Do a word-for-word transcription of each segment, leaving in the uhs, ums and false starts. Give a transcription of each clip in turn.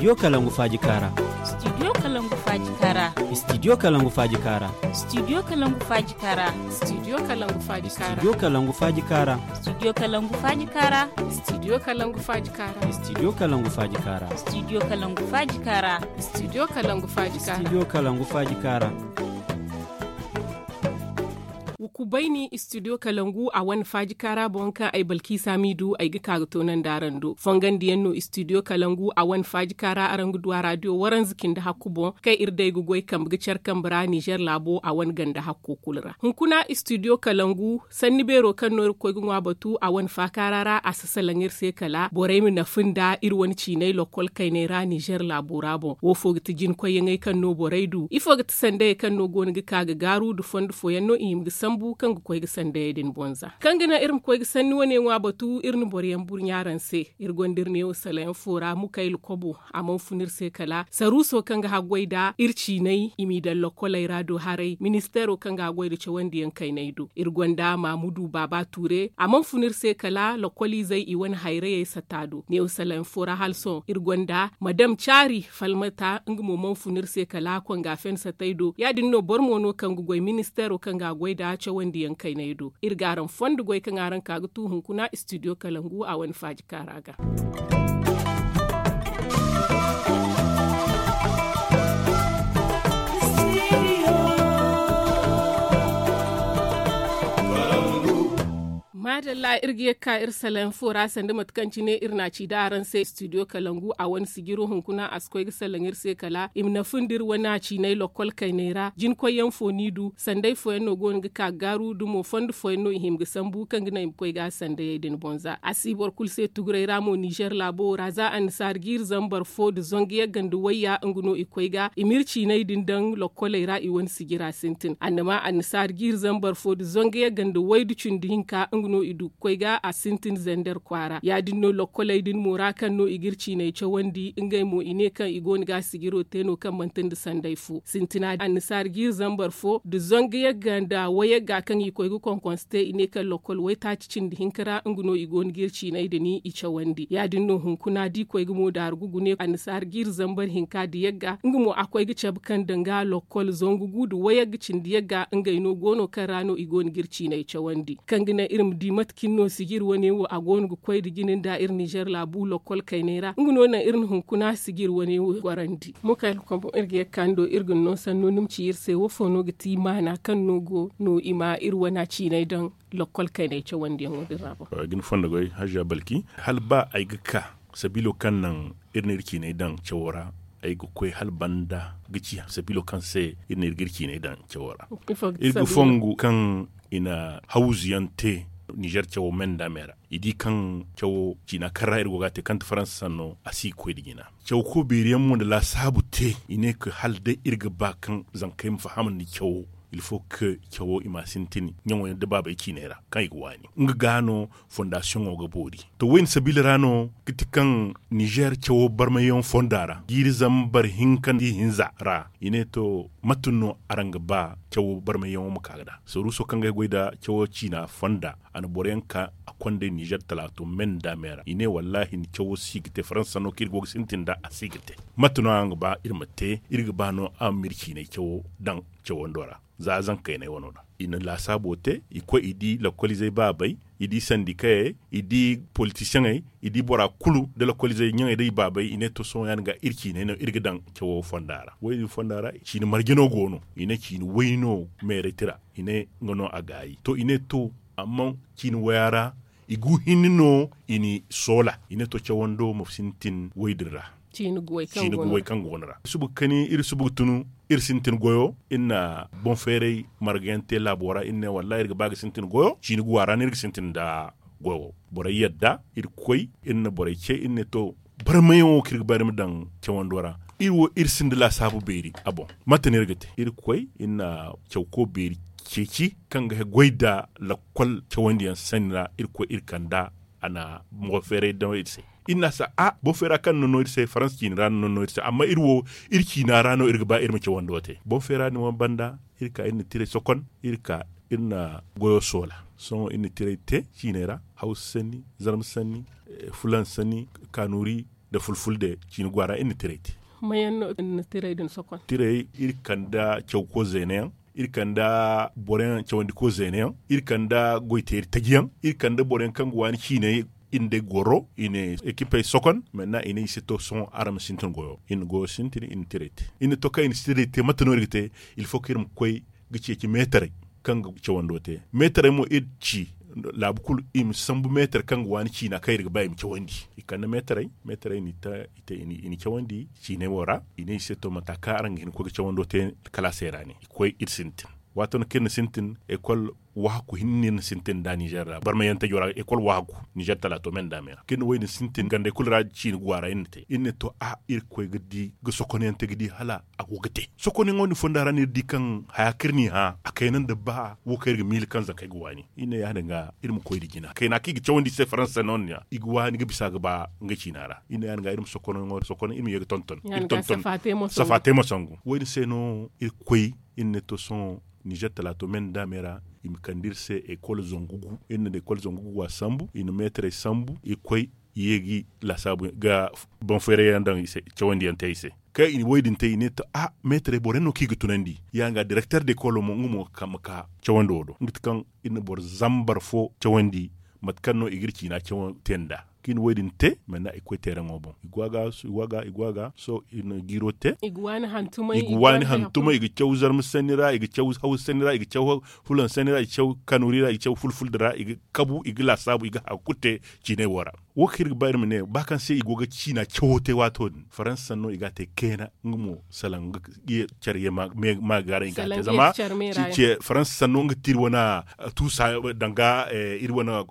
Studio Kalangu Faaji Kaara. Studio Kalangu Faaji Kaara. Studio Kalangu Faaji Kaara. Studio Kalangu Faaji Kaara. Studio Kalangu Faaji Kaara. Studio Kalangu Faaji Kaara. Studio Kalangu Faaji Kaara. Studio Kalangu Faaji Kaara. Studio Kalangu Faaji Kaara. Studio Kalangu Faaji Kaara. Studio Kalangu Faaji Kaara. Studio Kalangu Faaji Kaara. Wa kubayni studio kalangu a wane faaji kaara boŋ kaŋ ay balki saamiidu ay ga ka ga toonandi araŋ do fongandiyaŋ no studio kalangu a wane faaji kaara araŋ ga du a raadiyo waranza cindi hakku boŋ kaŋ iri day ga goy kambe ga care kambe ra nizer laabo a wane ganda hakko kulu ra hunkuna studio kalangu sanni beero kaŋ no iri ga koy ga ŋwa batu a wane faakaara ra a si salaŋ iri se kala borey ma nafa nda iri wane ciinay lokkol kaynay ra nizer laabo ra boŋ wo fo ga ti jinkoyyaŋey kaŋ no borey du ifo ga ti sandayey kaŋ no go no ga ka ga gaaru nda fondo fooyaŋ no i hima ga sambu kaŋ ga koy ga sandayey din boŋ za kaŋ ga naŋ iri ma koy ga sanni wane ŋwa batu iri na boroyaŋ burɲa araŋ se iri gonda iri neewo salayaŋ fo ra mukayla kobo a mana fun iri se kala saruuso kaŋ ga haggoy nda iri ciinay i m'i daŋ lokkoley ra do haray ministeero kaŋ ga haggoy nda cawandiyaŋ kaynay do iri gonda maamudu baaba tuure a mana fun iri se kala lokkoliizey i wane hayrayey sata do neewo salayaŋ fo ra hala sohõ iri gonda madam caari falmata nga mo mana fun iri se kala konga fen satay do ya- din no boro mo no kaŋ ga goy ministeero kaŋ ga a goy nd'a cawandiyaŋ kayney do iri ga araŋ fondo goy kaŋ araŋ ka ga tu hunkuna studio kalangu a wane faaji kaara ga maadalla iri ga ye ga ka iri salaŋ fo ra sanda mate kaŋ cine iri n'a ci da araŋ se studio kalangu a wane sijiro hunkuna a si koy ga salaŋ iri se kala i ma nafa nda iri wane a ciinay lokkol kaynay ra jinkoyyaŋ fo n'i du sanday fooyaŋ no go no ga ka ga gaaru nda mo fondo fooyaŋ no i hima ga sambu kaŋ ga naŋ i ma koy ga a sandayey din boŋ za a si boro kulu se tuguray ra mo nizer laabo wo ra za annasaari jiiri zambar fo nda zangu yagga nda wayya nga no i koy ga i ma iri ciinay din daŋ lokkoley ra i wane sijira sintin annama annasaari jiiri zambar fo nda zangu yagga nda waydu cindi hinka nga no i du ga koy ga a sintin zander kwaara ya- din no lokkoley din mo ra kaŋ no i ga iri ciinay cawandi ngey mo i ne kaŋ i go no ga a sijiro te no kaŋ manti nda sanday fo sintina annasaari jiiri zambar fo nda zangu yagga nda wayagga kaŋ i koy ga konkonse te i ne kaŋ lokkol waytaaci cindi hinka ra nga no i go no ga iri ciinay din i cawandi ya- din no hunkuna da i koy ga mo daaru ga gune annasaari jiiri zambar hinka nda yagga nga mo a koy ga cabe kaŋ danga lokkol zangu gu nda wayagga cindi yagga ngey no go no kaŋ ra no i go no ga iri ciinay cawandi kaŋ ga naŋ iri ma di mate kaŋ no sijir wane wo a go no ga koy nda jine nda iri nizer laabu lokkol kaynay ra nga no naŋ iri na hunkuna sijir wane wo gorandi mukayla kombo iri ga ye ga ka ni do iri ga ni no sanno ni ma ci iri se wo fo no ga ti maana kaŋ no go no i ma iri wane ciinay daŋ lokkol kaynay cawandiyaŋo din ra boŋ ay ga ni fondo goy hajja balki hala ba ay ga ka sabiilo kaŋ naŋ iri na iri ciinay daŋ cawo ra ay ga koy hala banda ga ci sabiilo kaŋ se iri na iri ga iri ciinay daŋ cawo ra iri ga fongu kaŋ i na hawzu yaŋ te nizer cawo me nda me ra i di kaŋ cawo ciina kaŋ ra iri go ga a te kaŋ ti faransa sanno a si ga koy nda jina cawo ko beeri yaŋ mo nda laasaabu te i ne ka hala day iri ga ba kaŋ zankey ma fahamandi cawo ilfo ka cawo i ma a sintin ɲaŋo yaŋ da baabey ciiney ra kaŋ i ga waani nga ga no fondasiyoŋo ga boori to wo- din sabiila ra no ga ti kaŋ nizer cawo barmayyaŋo fonda ra jiiri zambar hinka nda ihinza ra i ne to mate no araŋ ga ba cawo barmayyaŋo ma ka ga da saruuso kaŋ ga ay goy nda cawo ciina fonda a na boro yaŋ ka a konday nizer talaato me nda me ra i ne wallaahi ni cawo si ga te faransa sanno kaŋ iri go ga sintin nda a si ga te mate no araŋ ga ba iri ma te iri ga ba no araŋ ma iri ciinay cawo daŋ cawando ra za zankayne wano ra i na laasaabo te i koy i di lokoliizey baabey i di sandikayey i di politisiyeŋey i di bora kulu nda lokoliizey ɲaŋey day baabey i ne to sohõ ya- din ga iri ciiney no iri ga daŋ cawo fonda ra wo- din fonda ra ciini marje no go no i ne ciini way no meerey tira i ne nga no a gaayi to i ne to amma ciini waya ra i gu hinne no i n'i soola i ne to cawando ma sintin way din ra ciini guwey kaŋ go no ra iri suba ga kani iri suba ga tunu iri sintin goyo iri na boŋ feeray marga yaŋ te laabo ra iri ne wallaahi iri ga ba ga sintin goyo ciini guwa ra no iri ga sintin nda goyo borey yadda iri koy iri na borey ce iri ne to barmayaŋo kaŋ iri ga ba iri ma daŋ cawando ra iri wo iri sinda laasaabu beeri a boŋ mate no iri ga te iri koy iri na cawko beeri ceeci kaŋ ga goy nda lakkol cawandiyaŋ sanni ra iri koy iri kand'a a na boŋ feeray daŋ iri se iri n'a sa a boŋ feera kaŋ no no iri se faransa ciina ra no no iri se amma iri wo iri ciina ra no iri ga ba iri ma cawando te boŋ feera din wane banda iri ka iri na tiray sokon iri ka iri na goyo soola sohõ iri na tiray te ciiney ra hawsa sanni zarma sanni fulan sanni kaanuri nda fulfulde ciini go a ra iri na tirey te. Mayaŋ no iri na tirey din sokon? Tirey iri kande cawko zeena yaŋ, iri kande boro yaŋ cawandi ko zeena yaŋ, iri kande goyteeri taji yaŋ, iri kande boro yaŋ kaŋ ga waani ciiney iri nda ay goro i na ekipey sokon. Maintenant i ne i se to sohõ araŋ ma sintin goyo iri na goyo sintin iri na tirey te. Iri na to kaŋ i na tirey te mate no iri ga te? Il faut kaŋ iri ma koy ga ceeci meetarey kaŋ ga cawando te. Meetarey mo iri ci laabu kulu i ma sambu meetar kaŋ ga waani ciina kaŋ iri ga ba i ma cawandi. I kande meetarey. Meetarey n'i te i na cawandi ciiney wo ra. I ne i se to mata kaŋ araŋ ga hin ga koy ga cawando te kalaasey ra ne i koy iri sintin. Waato no kaŋ iri na sintin ekol wahakku hinne iri na sintin nd'a nizer ra barmayantajo ra ekol wahakku nizer talaato me nda me ra kaŋ iri na wo- din sintin gandey kulu ra ciini guwa ra iri na te iri ne to a iri ga koy ga di ga sokonyaŋ te ga di hala a go ga te. Sokonyaŋo din fonda ra no iri di kaŋ haya kaŋ iri n'i hã a kayna nda ba wo kaŋ iri ga miila kaŋ zankey ga waani iri ne ya- din ga iri ma koy nda jina kayna kaŋ i ga cawandi i se faransa no- din ra i ga waani ga bisa ga ba nga ciina ra iri ne ya- din ga iri ma sokonyaŋo sokon iri ma ye ga tonton. Safa te ma sangu wo- din se no iri ga koy iri ne to sohõ nizer talaato me nda me ra i ma kande iri se ekol zangu gu iri na ekol zangu gu a sambu i na meetarey sambu i ga koy i ye ga i laasaabu ga banfeerayyaŋ daŋ i se cawandiyaŋ te i se. Kaŋ i na wo- din te i ne to a meetarey boro yaŋ no kaŋ i ga tunandi ya- din ga direkter de kolo mo nga mo ga ka ma ka cawandi wo do nga ti kaŋ iri na boro zambar fo cawandi mate kaŋ no i ga iri ciina cawo te nd'a kaŋ i na wo- din te manna i ga koy teeraŋo boŋ i go a ga sohõ i na jiiro te i ga waani hantumay i ga caw zarma sanni ra i ga caw hawsa sanni ra i ga caw fulaŋ sanni ra i ga caw kanuuri ra i ga caw fulfuldi ra i ga kabu i ga laasaabu i ga haya kulu te ciinay wo ra. Wo kaŋ iri ga ba iri ma ne ba kaŋ se i go ga ciina cawo te waato din faransa sanno i ga a te kayna nga mo salaŋ nga care ye ma ga gaaray i ga a te zama faransa sanno nga ti iri wane tuusa danga iri wane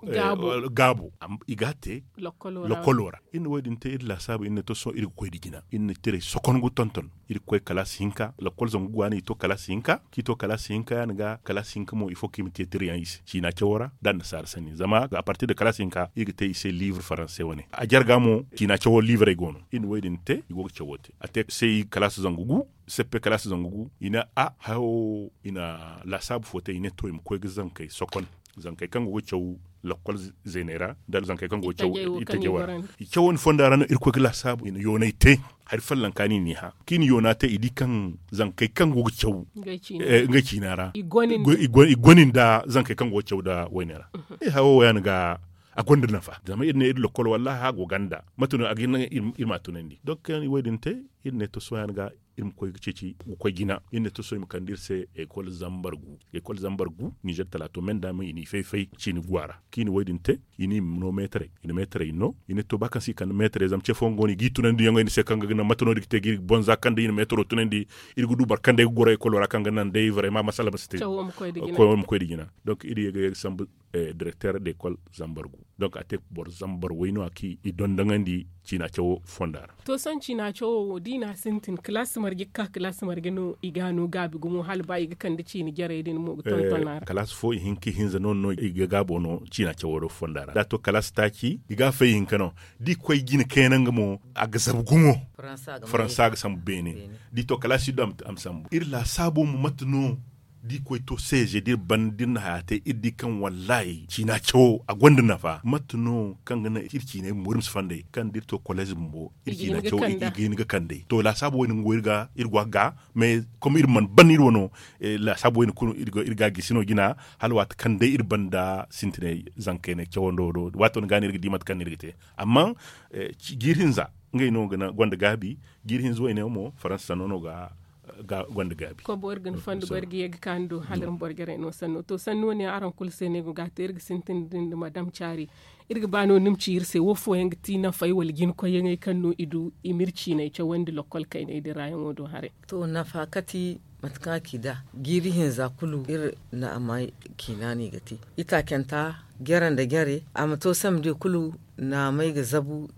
gaabo i ga a te lokkolo ra. Iri na wo- din te iri laasaabu iri ne to sohõ iri ga koy nda jina iri na tirey sokon ga tonton iri ga koy kalaasi hinka lakkol zangu ga waani i to kalaasi hinka kaŋ i to kalaasi hinka ya- din ga kalaasi hinka mo ifo kaŋ i ma te tirayaŋ i se ciina cawo ra nda annasaara sanni zama a partir da kalaasi hinka iri ga te i se liibur faranse wane a jarga mo ciina cawo liiburey go no iri na wo- din te i go ga cawo te a te se i kalaasi zangu gu seppe kalaasi zangu gu i ne a hayo i na laasaabu fo te i ne to i ma koy ga zankey sokon zankey kaŋ go ga caw lakkol zeeney ra nda zankey kaŋ go ga caw itajey wo ra. I cawo ni fonda ra no irkoy ga laasaabu i na yoonay te hari follanka no i n'i hã kaŋ i na yoona te i di kaŋ zankey kaŋ go ga caw ngey ciina ra i goni nda zankey kaŋ go ga caw nda wayne ra. Ay hayo wo ya- ni ga a gonda nafa zama iri ne iri lakkol wallaahi a go ganda mate no a ga hin naŋ iri ma a tunandi donk kaŋ yaŋ i wo- din te iri ne to sohõ ya- ni ga iri ma koy ga ceeci ga koy jina iri ne to sohõ i ma kande iri se ekol zambar gu ekol zambar gu nizer talaato me nda me i n'i fay-fay ciini guwa ra kaŋ i na wo- din te i n'i no meetarey i na meetarey no i ne to ba kaŋ se i kande meetarey zama ce fooyaŋ go no i g'i tunandi yaŋo i ni se kaŋ ga naŋ mate no- din ga te ga iri ga bonza kaŋ day i na meetaro tunandi iri ga du boro kaŋ day ga goro ekolo ra kaŋ ga naŋ day vrayma masala ma si te koy ma koy nda jina donk iri ye ga ye ga sambu direkter de ekol zambar gu donk a te boro zambar way no- ya kaŋ i dondoŋandi ciina cawo fonda ra. To sohõ ciina cawo wo da i n'a sintin kalaasi marje ga ka kalaasi marje no i ga a no gaabi gumo hala ba i ga kande ciini jarey din mo ga tonton a ra kalaasi fo ihinka ihinza no- no i ga gaabo no ciina cawo fonda ra da a to kalaasi taaci i ga a fay ihinka no da i koy jina kayna nga mo a ga zabu gumo faransa ga sambu beene da i to kalaasi iddu a ma sambu iri laasaabo mo mate no da i koy to seeze da iri ban da iri na haya te iri di kaŋ wallaahi ciina cawo a gonda nafa mate no kaŋ ga naŋ iri ciinay bumbo iri ma si fandey kaŋ da iri to koleez bumbo iri ciina cawo i ga hin ga kandey to laasaabo wo- din go iri ga iri go a ga mais comme iri mana ban iri wano laasaabo wo- din kulu iri ga a gisi no jina hala waati kaŋ day iri banda sintinay zankayne cawando do waato ni ga no iri ga di mate kaŋ no iri ga te amma jiiri hinza ngey no gonda gaabi jiiri hinza wayne mo faransa sanno no ga gonda gaabi kobo iri ga ni fondo go iri ga ye ga ka ni do hala iri ma boro jarey no sanno to sanni wane araŋ kulu se no ay go ga a te iri ga sintin da ni da madam caari iri ga ba no ni ma ci iri se wo fooyaŋ ga ti nafey wala jina koyyaŋey kaŋ no i du i ma iri ciinay cawandi lokkol kayney din ra yaŋo do haray to nafa kati mate kaŋ a ci da jiiri hinza kulu iri na a may ciina no i ga te itaacanta jare nda jare a ma to samedi kulu naamey ga zabu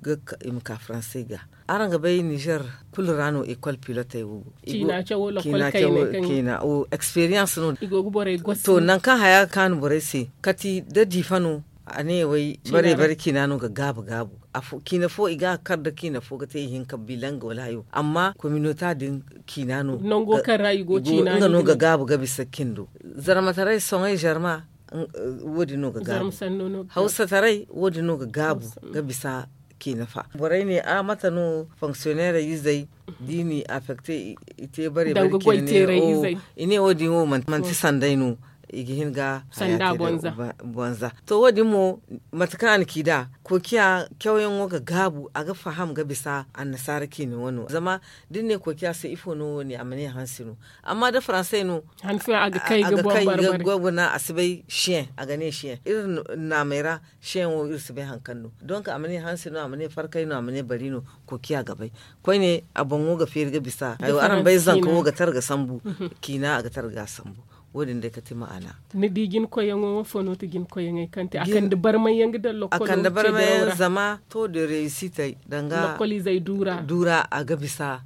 i ma ka faransey ga araŋ ga bay nizer kulu ra no ekol pilotey wo go ciina cawo eksperiyanse no to nangu kaŋ haya ga kaanu borey se kati da diifa no a ne way bare bare ciina no ga gaabu gaabu ciina fo i ga a kar da ciina fo ga te ihinka bilanga wala hayo amma kominota din ciina no nango kaŋ ra i go ciina nga no ga gaabu ga bisa cindo zarmataray soŋay zarma wo- din no ga gaabu hawsataray wo- din no ga gaabu ga bisa K'i nafa borey ne a mate no fonksiyoneerey izey da i n'i afekte, i te bare bare k'i ne ne. I ne wo- din wo manti sanday no. I ga hin ga sanda bonza. To wo- din mo mate kaŋ a na ci nd'a, koociya cawyaŋo ga gaabu a ga faham ga bisa annasaara ciine wano zama da ni ne koociya se ifo no wo- ne a ma ne hansi no. Amma da faransey no hansi a ga kay ga guna a si bay siyeŋ a ga ne siyeŋ iri naamey ra. Siyeŋo iri si bay hari kaŋ no donk a ma ne hansi no a ma ne farkay no a ma ne bari no. Koociya ga bay koyne a boŋo ga feeri ga bisa. Araŋ bay zanka wo ga tara ga sambu. Ciina a ga tara ga a sambu. Wo- din day kate ma'ana. Ni di jinkoyyaŋo wo fo no ti jinkoyyaŋey kaŋ te a kande barmay yaŋ ga daŋ lokol wo te da yaŋ ra. Zama to da reesitey danga lokol izey duura a ga bisa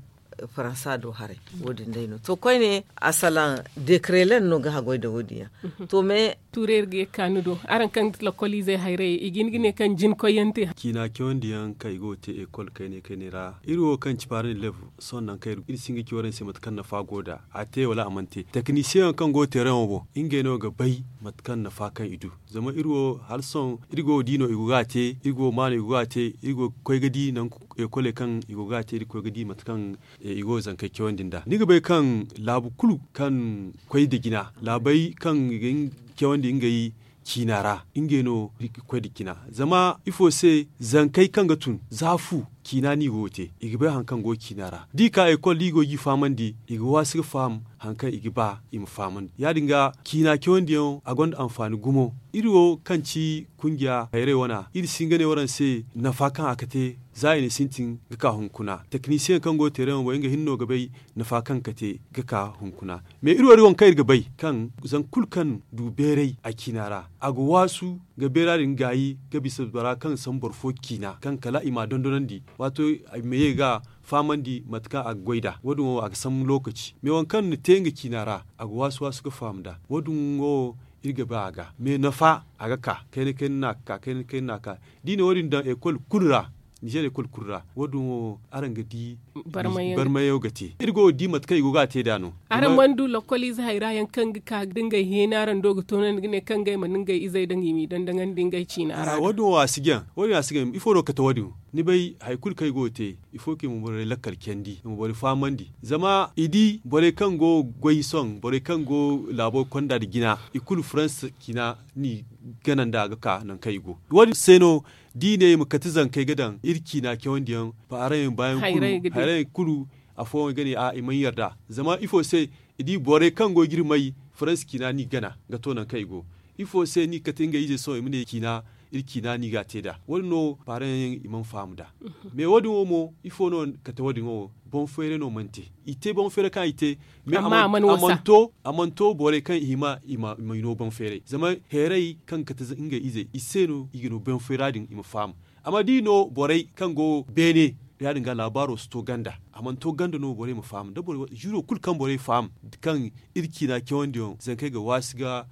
faransa do haray. Wo- din day no to koyne a salaŋ dekrelen no ga haggoy nda wo- din yaŋ. To me tuuray iri ga ye ga ka ni do araŋ kaŋ ga ti lokol izey hayray i ga hin ga ne kaŋ jinkoyyaŋ te. Ciina cawandi yaŋ kaŋ i go ga te ekol kayne kayne ra iri wo kaŋ ci paarandi lebu. Sohõ nangu kaŋ iri si hin ga ci waraŋ se mate kaŋ nafa go nd'a a te wala a mana te teknisiyeŋ yaŋ kaŋ go ga teeraŋo boŋ ngey no ga bay mate kaŋ nafa kaŋ i du. Zama iri wo hala sohõ iri go ga di no i go ga a te iri go ga ma no i go ga a te iri go ga koy ga di nangu ekoley kaŋ i go ga a te iri ga koy ga di mate kaŋ i go ga zankey cawandi nd'a ni ga bay kaŋ laabu kulu kaŋ koy nda jina laabey kaŋ i ga hin ga cawandi ngey ciina ra. Ngey no iri ga koy nda jina zama ifo se zankey kaŋ ga tun za fu ciina no i go ga te i ga bay hari kaŋ go ciina ra da i ka ekol da i go ga i fahamandi i ga waasi ga faham hari kaŋ i ga ba i ma fahamandi ya- din ga ciina cawandiyaŋo a gonda anfaani gumo. Iri wo kaŋ ci kungiya hayray wana iri si hin ga ne waraŋ se nafa kaŋ a ga te za i na sintin ga ka hunkuna teknisiyeŋ kaŋ go ga teeraŋo boŋ nga hinne no ga bay nafa kaŋ ga te ga ka hunkuna. Me iri wo iri waŋ kaŋ iri ga bay kaŋ zangu kulu kaŋ du beeray a ciina ra a ga waasu ga beera din gaayi ga bisa bora kaŋ sambu boro fo ciina kaŋ kala i m'a dondonandi waato i ma ye ga fahamandi mate kaŋ a ga goy nd'a wo- din wo a ga sambu lookaci me waŋ kaŋ na te nga ciina ra a ga waasu waasu ga faham nd'a wo- din wo iri ga ba a ga me nafa a ga ka kayna kayna no a ga ka kayna kayna no a ga ka da i na wo- din daŋ ekol kulu ra ninzeer ekol kulu ra wo- din wo araŋ ga di barmayaŋo ga te iri go ga di mate kaŋ i go ga a te nd'a no. Araŋ mana du lokol ize hayra yaŋ kaŋ ga ka da ngey heeni araŋ do ga toonandi ga ne kaŋ ngey mana ngey izey daŋ i m'i daŋ daŋandi ngey ciina ra wo- din wo a si jaŋ wo- din a si jaŋ ifo no ga kate wo- din wo ni bay hari kulu kaŋ i go ga te ifo kaŋ i ma borey lakkal candi i ma borey fahamandi zama i di borey kaŋ go ga goy sohõ borey kaŋ go laabo konda nda jina i kulu faransa ciina no i gana nd'a ga ka nangu kaŋ i go wo- din se no da i ne i ma kate zankey ga daŋ iri ciina cawandiyaŋ paaraŋ yaŋ baayaŋ kulu afooyaŋ ga ne a i mana yarda zama ifo se i di borey kaŋ go ga iri may faransa ciina no i gana ga to nangu kaŋ i go ifo se no i ga kate ngey ize sohõ i ma ne ciina iri ciina no i ga a te nd'a wo- din no paaraŋ yaŋ i mana faham nd'a. Me wo- din wo mo ifo no kate wo- din wo boŋ feeray no mana te i te boŋ feeray kaŋ i te. Me a mana to borey kaŋ i hima i ma i no boŋ feeray zama heeray kaŋ ga kate ngey izey i se no i ga no boŋ feera din i ma faham. Amma da i no borey kaŋ go beene ya- din ga laabaaro si to ganda a mana to ganda no borey ma faham da boro ziro kulu kaŋ borey faham kaŋ iri ciina cawandiyaŋ zankey ga waasi ga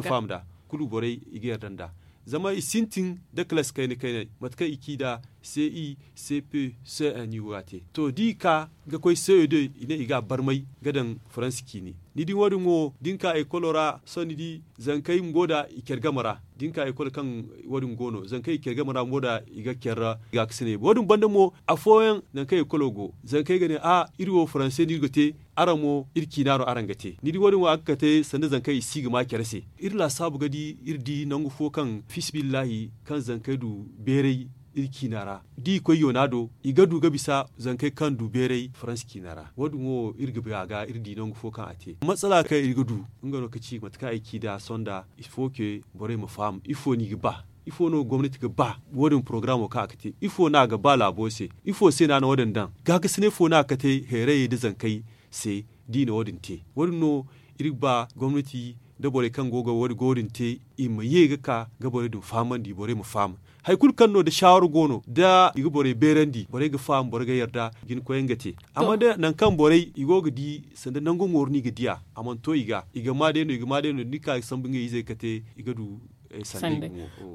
faham nd'a kulu borey i ga yarda nd'a. Zama i sintin da kalaasi kayna kaynay mate kaŋ i ci nd'a ce i ce pe ce un i go ga a te to da i ka ga koy ce e deux i ne i ga a barmay ga daŋ faransa ciine. Ni di wo- din wo da ni ka ekolo ra sohõ ni di zankey bumbo nd'a i care game ra da ni ka ekolo kaŋ wo- din go no zankey i care game ra bumbo nd'a i ga care ra. Gaakasiney wo- din banda mo afooyaŋ nangu kaŋ ekolo go zankey ga ne a iri wo faranse no iri ga te araŋ mo iri ciina no araŋ ga te ni di wo- din wo a ga kate sanda zankey i si ga ma care se. Iri laasaabu ga di iri di nangu fo kaŋ fiisabilillahi kaŋ zankey du beeray iri ciina ra da i koy yoona do i ga du ga bisa zankey kaŋ du beeray faransa ciina ra wo- din wo iri ga bay a ga iri di nangu fo kaŋ a te matsala kaŋ iri ga du nga no ga ci mate kaŋ ay ci nd'a sohõ nd'a ifo ke borey ma faham ifo no i ga ba ifo no gomnati ga ba wo- din porogaraamo kaŋ a ga te ifo no a ga ba laabo se ifo se no a na wo- din daŋ gaakasinay fo no a ga kate heerayey nda zankey se da i na wo- din te wo- din no iri ga ba gomnati nda borey kaŋ go ga wo- din te i ma ye ga ka ga borey din fahamandi borey ma faham. Hari kulu kaŋ no da saawara go no da i ga borey beerandi borey ga faham borey ga yarda jinkoyaŋ ga te amma da nangu kaŋ borey i go ga di sanda nangu mooru no i ga di a a mana to i ga i ga ma day no i ga ma day no da ni ka ga sambu ngey izey ga te i ga du sanda.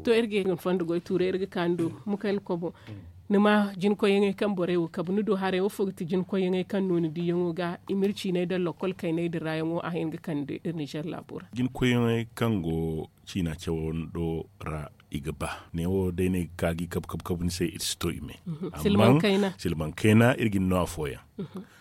To iri ga hin fondo goy tuuray iri ga ka ni do mukayna kobo ni ma jinkoyyaŋey kaŋ borey wo kabu ni do haray wo fo ga ti jinkoyyaŋey kaŋ no ni diyaŋo ga i ma iri ciinay daŋ lokol kaynay din ra yaŋo a hin ga kande iri nizer laabo ra. Jinkoyyaŋey kaŋ go ciina cawando ra i ga ba. Neewo day no ay ga ka ga i kabu kabu kabu ni se iri si to i me. Silmankayna iri ga ni no afooyaŋ.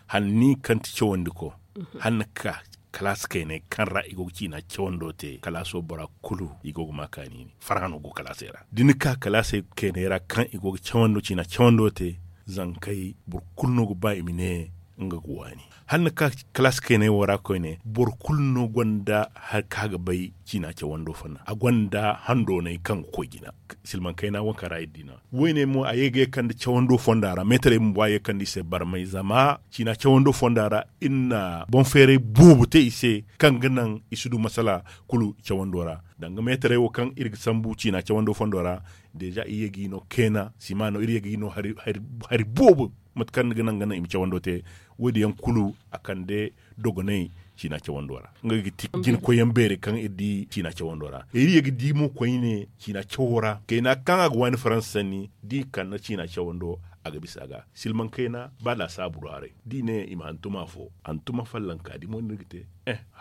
Hanni kaŋ ti cawandi ko hanni ga ka kalaasi kaynay kaŋ ra i go ga ciina cawando te kalaaso bora kulu i go ga ma kaani ne farhã no go kalaasey ra da ni ka kalaasey kaynay ra kaŋ i go ga cawando ciina cawando te. Zankey boro kulu no ga ba i ma ne nga ga waani hala ni ka kalaasi kaynay wo ra koyne boro kulu no gonda hari kaŋ a ga bay ciina cawando fonda a gonda handoonay kaŋ ga koy jina. Silmaŋ kayna wo kaŋ ra iri di no woyne mo a ye ga ye kande cawando fonda ra meetarey bumbo a ye kande i se barmay zama ciina cawando fonda ra iri na boŋ feeray boobo te i se kaŋ ga naŋ i si du masala kulu cawando ra. Danga meetarey wo kaŋ iri ga sambu ciina cawando fondo ra deeza iri ye ga i no keena sima no iri ye ga i no hari boobo mate kaŋ ga naŋ ga naŋ i ma cawando te. Wo- din yaŋ kulu a kande dogonay ciina cawando ra nga ga ti jina koyyaŋ beerey kaŋ iri di ciina cawando ra iri ye ga di mo koyne ciina cawo ra kayna kaŋ a ga waani faransa sanni da i kande ciina cawando a ga bisa ga silmaŋ kayna ba laasaabu do haray da i ne i ma hantum afo hantum follanka di mo no iri ga te.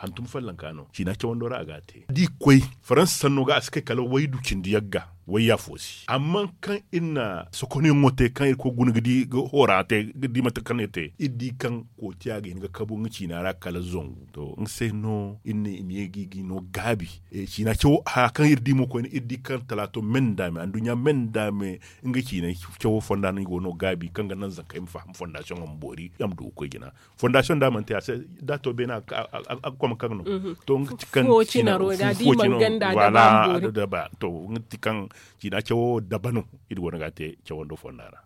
Hantum follanka no ciina cawando ra a ga a te da i koy faransa sanno ga a si kay kala waydu cindi yagga wayya fo se amma kaŋ iri na sokonyaŋo te kaŋ iri koy guna ga di ga hora te ga di mate kaŋ iri te iri di kaŋ kootiya ga hin ga kabu nga ciina ra kala zangu to nga se no iri ne i ma ye ga i ga i no gaabi. Ciina cawo haya kaŋ iri di mo koyne iri di kaŋ talaato me nda me anduɲɲa me nda me nga ciina cawo fonda no i go no gaabi kaŋ ga naŋ zankey ma faham fondasiyoŋo ma boori ya ma du ga koy jina. Fondasiyoŋ da a mana te a se da a to beene a ga koma kaŋ no. To nga ti kaŋ ciina ro da di man ganda da ba to nga ti kaŋ ciina cawo daba no iri go no ga a te cawando fonda ra.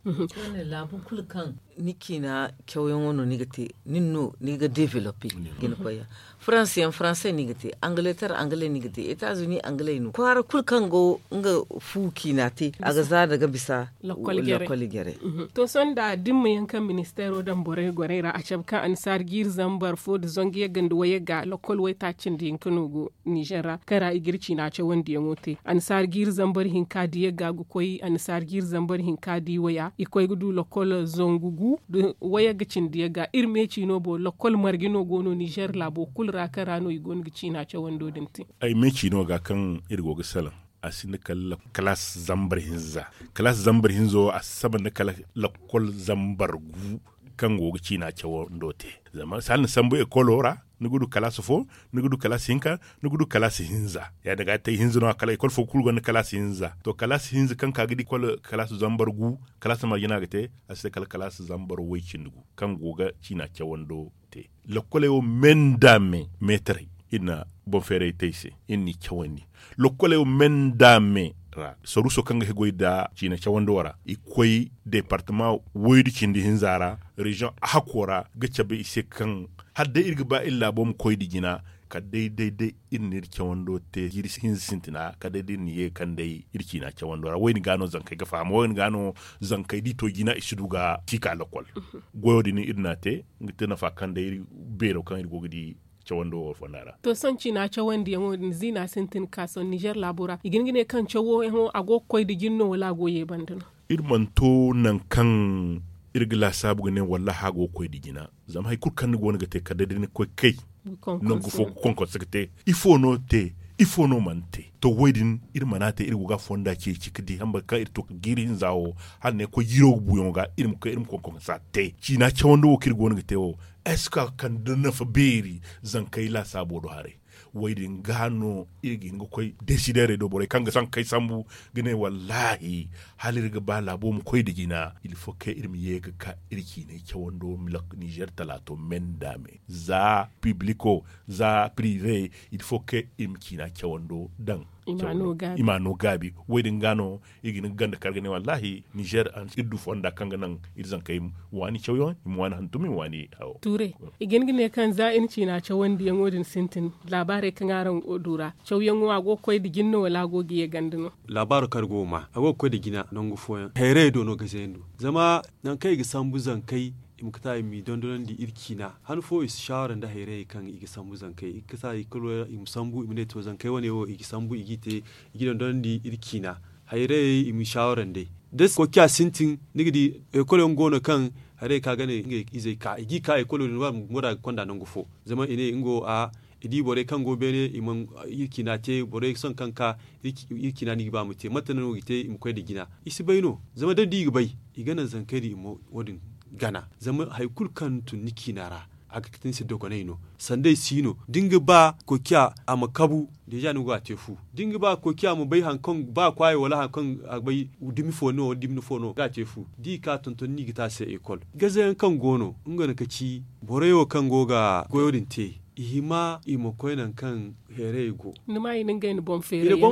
Laabu kulu kaŋ ni ciina cawyaŋo no ni ga te nin no ni ga developpe ga ni koy ya. Faranse yaŋ faranse no i ga te angaleter angale no i ga te etazuni angale no kwaara kulu kaŋ go nga fu ciina te a ga za daga bisa. Lakkol jare. To sohõ nda dimma yaŋ kaŋ ministeero daŋ borey gorey ra a cabe kaŋ annasaari jiiri zambar fo nda zangu yagga nda wayagga lakkol waytaaci cindi hinka no go nizer ra kaŋ ra i ga iri ciina cawandiyaŋo te annasaari jiiri zambar hinka da yagga ga koy annasaari jiiri zambar hinka da i waya i koy ga du lakkol zangu gu nda wayagga cindi yagga iri me ciino boŋ lakkol marje no go no nizer laabo kulu ra kaŋ ra no i go no ga ciina cawando din te. Ay me ciino ga kaŋ iri go ga salaŋ a sinda kala kalaas zambar hinza. Kalaas zambar hinza wo a si saba nda kala lakkol zambar gu kaŋ go ga ciina cawando te. Zama hala ni sambu ekolo ra ni ga du kalaas fo ni ga du kalaas hinka ni ga du kalaas hinza ya- din ga a te hinza no- ya kala ekol fo kulu gonda kalaas hinza to kalaas hinza kaŋ ka ga di kalaas zambar gu kalaas marje no a ga te. A si te kala kalaas zambar way cindi gu kaŋ go ga ciina cawando te. Lokkoley wo me nda me meetarey iri na boŋ feeray te i se iri n'i cawandi. Lokkoley wo me nda me ra saruuso kaŋ ga haggoy nda ciina cawando ra i koy deepartama waydu cindi hinza ra reziyoŋ ahakko ra ga cabe i se kaŋ hala day iri ga ba iri laabo ma koy nda jina kala day day day iri na iri cawando te jiiri hinza sintina kala day day iri na ye ga kande iri ciina cawando ra wo- din ga no zankey ga faham wo- din ga no zankey da i to jina i si du ga ci ka lakkol. Goyo din iri n'a te nga te nafa kaŋ day iri beero kaŋ iri go ga di cawando wo fonda ra. To sohõ ciina cawandiyaŋo din ziina sintin ga ka sohõ nizer laabo ra i ga hin ga ne kaŋ cawoyaŋo a go ga koy nda jina no wala a go ga ye banda no? Iri mana to nangu kaŋ iri ga laasaabu ga ne wallaahi a go ga koy nda jina. Zama hari kulu kaŋ ni go no ga te kala day da ni koy kay nangu fo ga konkonse ga te. Ifo no te? Ifo no mana te? To wo- din iri mana te iri go ga a fonda ceeci ga di hamba kaŋ iri to ga jiiri hinza wo hala ne koy jiiro ga buuyaŋo ga iri ma koy iri ma konkonsa te ciina cawandi wo kaŋ iri go no ga te wo? Est ce que a ga kande nafa beeri zankey laasaabo do haray? Wo- din ga no iri ga hin ga koy desideerey do borey kaŋ ga zankey sambu ga ne wallaahi hala iri ga ba laabo ma koy nda jina il faut que iri ma ye ga ka iri ciinay cawando nizer talaato me nda me za pibliko za pirive il faut que iri ma ciina cawando daŋ i ma no gaabi. Wo- din ga no iri ga hin ga ganda kar ga ne wallaahi nizer iri du fonda kaŋ ga naŋ iri zankey waani cawyaŋo i ma waani hantum i ma waani hawo. Tuure i ga hin ga ne kaŋ za iri ciina cawandiyaŋo din sintin laabaarey kaŋ araŋ go du ra cawyaŋo a go ga koy nda jina no wala a go ga ye ganda no? Laabaaro kaŋ araŋ go ga ma a go ga koy nda jina nangu fooyaŋ hayrayey do no ga zeendu. Zama nangu kaŋ i ga sambu zankey i ma kata i m'i dondonandi iri ciina han fo i si saawara nda hayrayey kaŋ i ga sambu zankey i ga kata i kulu i ma sambu i ma ne to zankey wane wo i ga sambu i g'i te i g'i dondonandi iri ciina. Hayrayey i ma saawara nd'ey da koociya sintin ni ga di ekol yaŋ go no kaŋ hayrayey kaŋ a ga ne ngey izey ka i g'i ka ekolo din ba bumbo da a ga konda nangu fo. Zama i ne nga wo a I di borey kaŋ go beene i mana iri ciina te borey sohõ kaŋ ka iri ciina no i ga ba ma te mate no i ga te i ma koy nda jina. I si bay no zama da ni di i ga bay i ga naŋ zankey din i ma wo- din gana zama hari kulu kaŋ ni tun ni ciina ra a ga kate ni se dogonay no. Sanda ay si no da ni ga ba koociya a ma kabu deeza ni go ga a te fu. Da ni ga ba koociya ma bay hari kaŋ ba kwaayo wala hari kaŋ a bay dumi fo no wala dumi fo no ga a te fu da i ka tonton ni ga te a se ekol. Gaze yaŋ kaŋ go no nga no ka ci borey wo kaŋ go ga goyo din te i hima i ma koy nangu kaŋ heeray go. Ni ma i na ngey na boŋ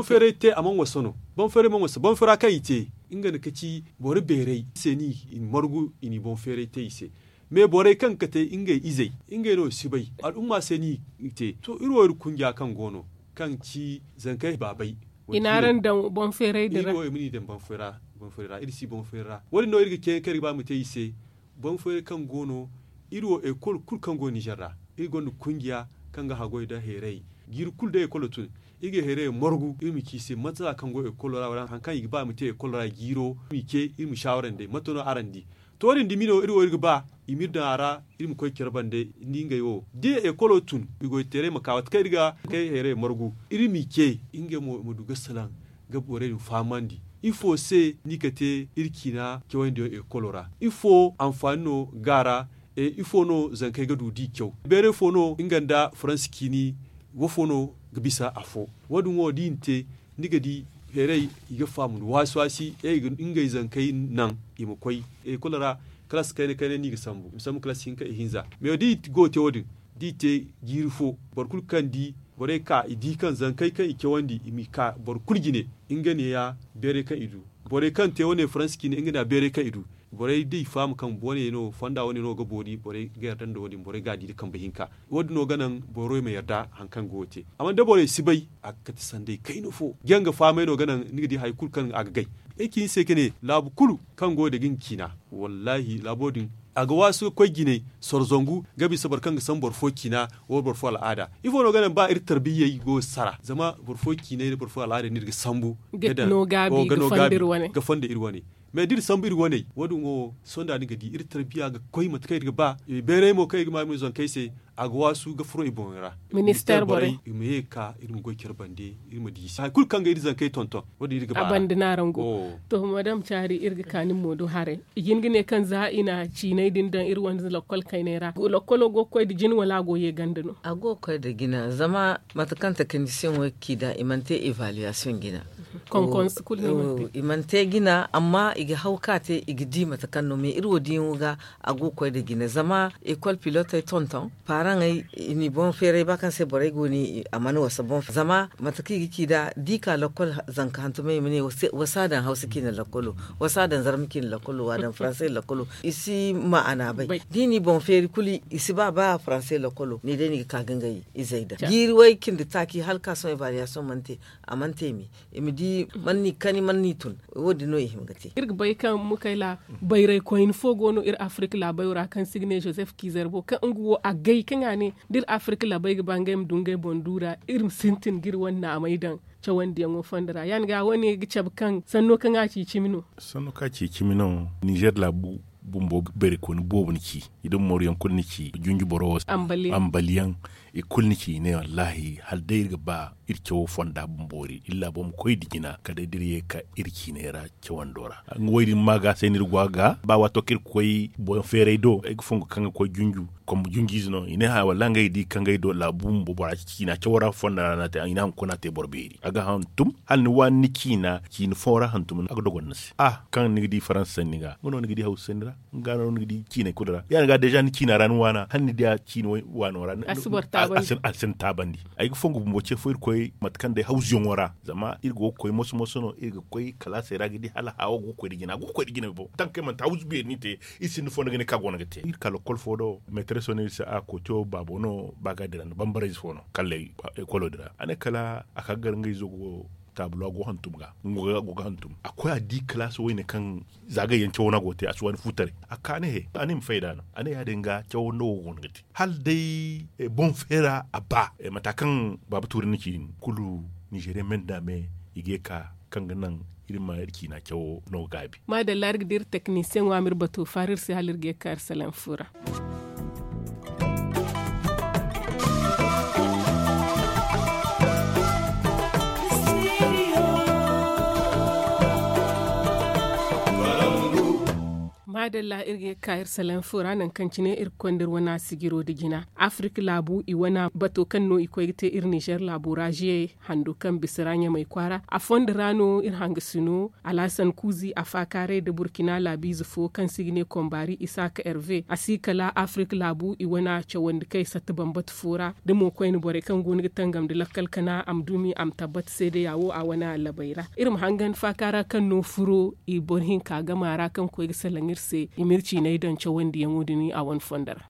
feeray te a mana wasa no. Boŋ feeray mana wasa boŋ feera kaŋ i te nga no ka ci boro beeray se no i margu i na i boŋ feeray te i se. Me borey kaŋ ga kate ngey izey ngey no i si bay al'umma se no i te to iri wo iri kunja kaŋ go no kaŋ ci zankey baabay. I na araŋ daŋ boŋ feeray din ra. Iri wo iri ma ni daŋ boŋ feeray ra iri si boŋ feeray ra wo- din no iri ga ceeyaŋ kaŋ iri ga ba ma te i se. Boŋ feeray kaŋ go no iri wo ekol kulu kaŋ go ninzeer ra iri gonda kunja kaŋ ga haggoy nda heeray jiiri kulu day ekolo tun iri ga heeray margu iri ma ci i se mate za kaŋ go ekolo ra wala hari kaŋ i ga ba i ma te ekolo ra jiiro iri ma i ce iri ma saawara nd'ey mate no araŋ di. To wo- din dumi no iri wo iri ga ba i ma iri daŋ a ra iri ma koy care bande. Ni ngey wo da ekolo tun i goy teeray ma ka waati kaŋ iri ga kay heeray margu iri ma i ce ngey mo i ma du ga salaŋ ga borey din fahamandi ifo se no i ga te iri ciina cawandi yaŋ ekolo ra? Ifo anfaani no ga a ra? Ifo no zankey ga du da i caw beeray fo no nga nda faransi ciini? Wo- fo no ga bisa afo? Wo- din wo da i na te ni ga di heeray i ga faamu nda waasi waasi ngey zankey naŋ i ma koy ekol ra. Kalaasi kayna kayna no i ga sambu i ma sambu kalaasi hinka ihinza me da i go ga te wo- din da i te jiiri fo boro kulu kaŋ di borey ka i di kaŋ zankey kaŋ i cawandi i m'i ka boro kulu jine. Nga neeya beeray kaŋ i du borey kaŋ te wane faransi ciine nga neeya beeray kaŋ i du borey da i faham kaŋ wane no fonda wane no ga boori borey ga yarda nda wo- din borey ga a di nda kambe hinka. Wo- din no ga naŋ boro ma yarda hari kaŋ go ga te. Amma da borey si bay a ga kate sanday kayna fo janga fahamay no ga naŋ ni ga di hari kulu kaŋ a ga gay. Ay ci ni se ka ne laabu kulu kaŋ go ga dagi nga ciina wallaahi laabo din a ga waasu ga koy jinay soro zangu ga bisa boro kaŋ ga sambu boro fo ciina wala boro fo al'aada. Ifo no ga naŋ ba iri tarbiyey go ga sara zama boro fo ciinay nda boro fo al'aadey no iri ga sambu ga daŋ ga no gaabi ga fondo iri wane. Mais da iri sambu iri waney wo- din wo sohõ da ni ga di iri tarbiya ga koy mate kaŋ iri ga ba. Beeray mo kaŋ iri ga ma iri ma zankey se a ga waasu ga furo i boŋey ra. Ministeer borey i ma ye ga ka iri ma goy care bande iri ma di i se hari kulu kaŋ ga iri zankey tonton. Wo- din iri ga ba a banda no araŋ go. To madam caari iri ga ka nin mo do haray i jin ga ne kaŋ za i na ciinay din daŋ iri wane lakkol kaynay ra lakkolo go ga koy nda jin wala a go ga ye ganda no? A go ga koy nda jina zama mate kaŋ takanisiyaŋo ga ci nd'a i mana te evaluwaasiyoŋ jina. Konkonsu kulu no i mana te jina amma i ga haw ka te i ga di mate kaŋ no mais iri wo diyaŋo ga a go ga koy nda jina zama ekol pilotey tonton paaraŋey i n'i boŋ feeray ba kaŋ se borey go no i a mana wasa boŋ feeray zama mate kaŋ i ga ci nd'a da i ka lakkol zanka hantumay i ma ne wasa a daŋ hawsa ciine lakkolo wasa a daŋ zarma ciine lakkolo w'a daŋ faransay lakkolo i si ma'ana bay. Da i n'i boŋ feeri kulu i si ba ba faransay lakkolo ne day no i ga ka ga ngey izey daŋ jiiri way cindi taaci hala ka sohõ evaluwaasiyoŋ mana te. A mana te me i ma di mana ni kani mana ni tun. Wo- din no i hima ga te. Iri ga bay kaŋ mukayla bayray koyne fo go no iri afirka laabay ra kaŋ se i ga ne joseph kizerbo kaŋ nga wo a gay kaŋ a ne da iri afirka laabay ga ba ngey ma du ngey boŋ du ra iri ma sintin ga iri wane naamay daŋ cawandiyaŋo fondo ra ya- din ga wo- ne ga cabe kaŋ sanno kaŋ a ci cimi no. Sanno kaŋ a ci cimi no ninzeer laabu bumbo bayray koyne boobo ni ci i da mooruyaŋ kulu ni ci junju boro wo se ambaliyaŋ i kulu ni ci i ne wallaahi hala day iri ga ba iri cawo fonda bumbo iri iri laabo ma koy nda jina kala day da iri ye ga ka iri ciinay ra cawando ra. Nga wo- din ma ga se no iri go a ga ba waato kaŋ iri ga koy boŋ feeray do ay ga fongu kaŋ ga koy junju kombo junjiize no i ne hã wallaahi ngey di kaŋ ngey do laabu bumbo bora ciina cawo ra fonda ra no a te i na hunkuna a te boro beeri a ga hantum hala ni waani ni ciina ciina fo ra hantum a ga dogon ni se a kaŋ ni ga di faransa sanni ga nga no ni ga di hawsa sanni ra. Nga no ni ga di ciinay kulu ra ya- din ga deeza ni ciina ra ni waana hala ni diya ciina waano ra a si ni taabandi. Ay ga fongu bumbo ce fo iri koy mate kaŋ day hawzuyaŋo ra zama iri go ga koy moso moso no iri ga koy kalaasey ra ga di hala haawo go ga koy nda jina go ga koy nda jina boŋ taŋ kaŋ ay manti hawzu beeri no i te. Iri sinda fondo ga ne kaŋ a go no ga te iri ka lokkol fo do metereso no iri se a kooto baabo no ba ga dira nda bambarayze fo no kalley ekolo din ra a ne kala a ka ga gar nga izo go taabula go hantum ga nga go ga hantum a koy a di kalaasi wayne kaŋ za gay yaŋ cawo no a go ga te a si waani fu taray a ka ne he a ne i ma fayda no a ne ya- din ga cawo nda wo go no ga te hala day boŋ feera a ba mata kaŋ baaba tuuri ni ci din kulu ninzeeriyaŋ me nda me i ga ye ka kaŋ ga naŋ iri ma iri ciina cawo no gaabi. Maadalla iri ga dira teknisiyeŋo a ma iri batu faara iri se hala iri ga ye ka iri salaŋ fu ra. Adalla iri ga ye ga ka iri salaŋ fo ra nangu kaŋ cine iri ga konda iri wane sijiro nda jina, afirik laabu i wane bato kaŋ no i koy ga te iri nizer laabo ra ziye hando kaŋ bisa ra ɲamay kwaara a fondo ra no iri hangasino alhasan kuuzi a faakaaray nda burkina laabiize fo kaŋ se i ga ne kombaari isaaka herve a si kala afirik laabu i wane cawandi kaŋ i satta bambata fo ra da mo koyne borey kaŋ go no ga tangam nda lakkal kana a ma dumi a ma tabbata seedeya wo a wane labay ra. Iri ma hangan faakaara kaŋ no furo i boro hinka game a ra kaŋ koy ga salaŋ iri se i ma iri ciiney daŋ cawandiyaŋo din a wane fondo ra.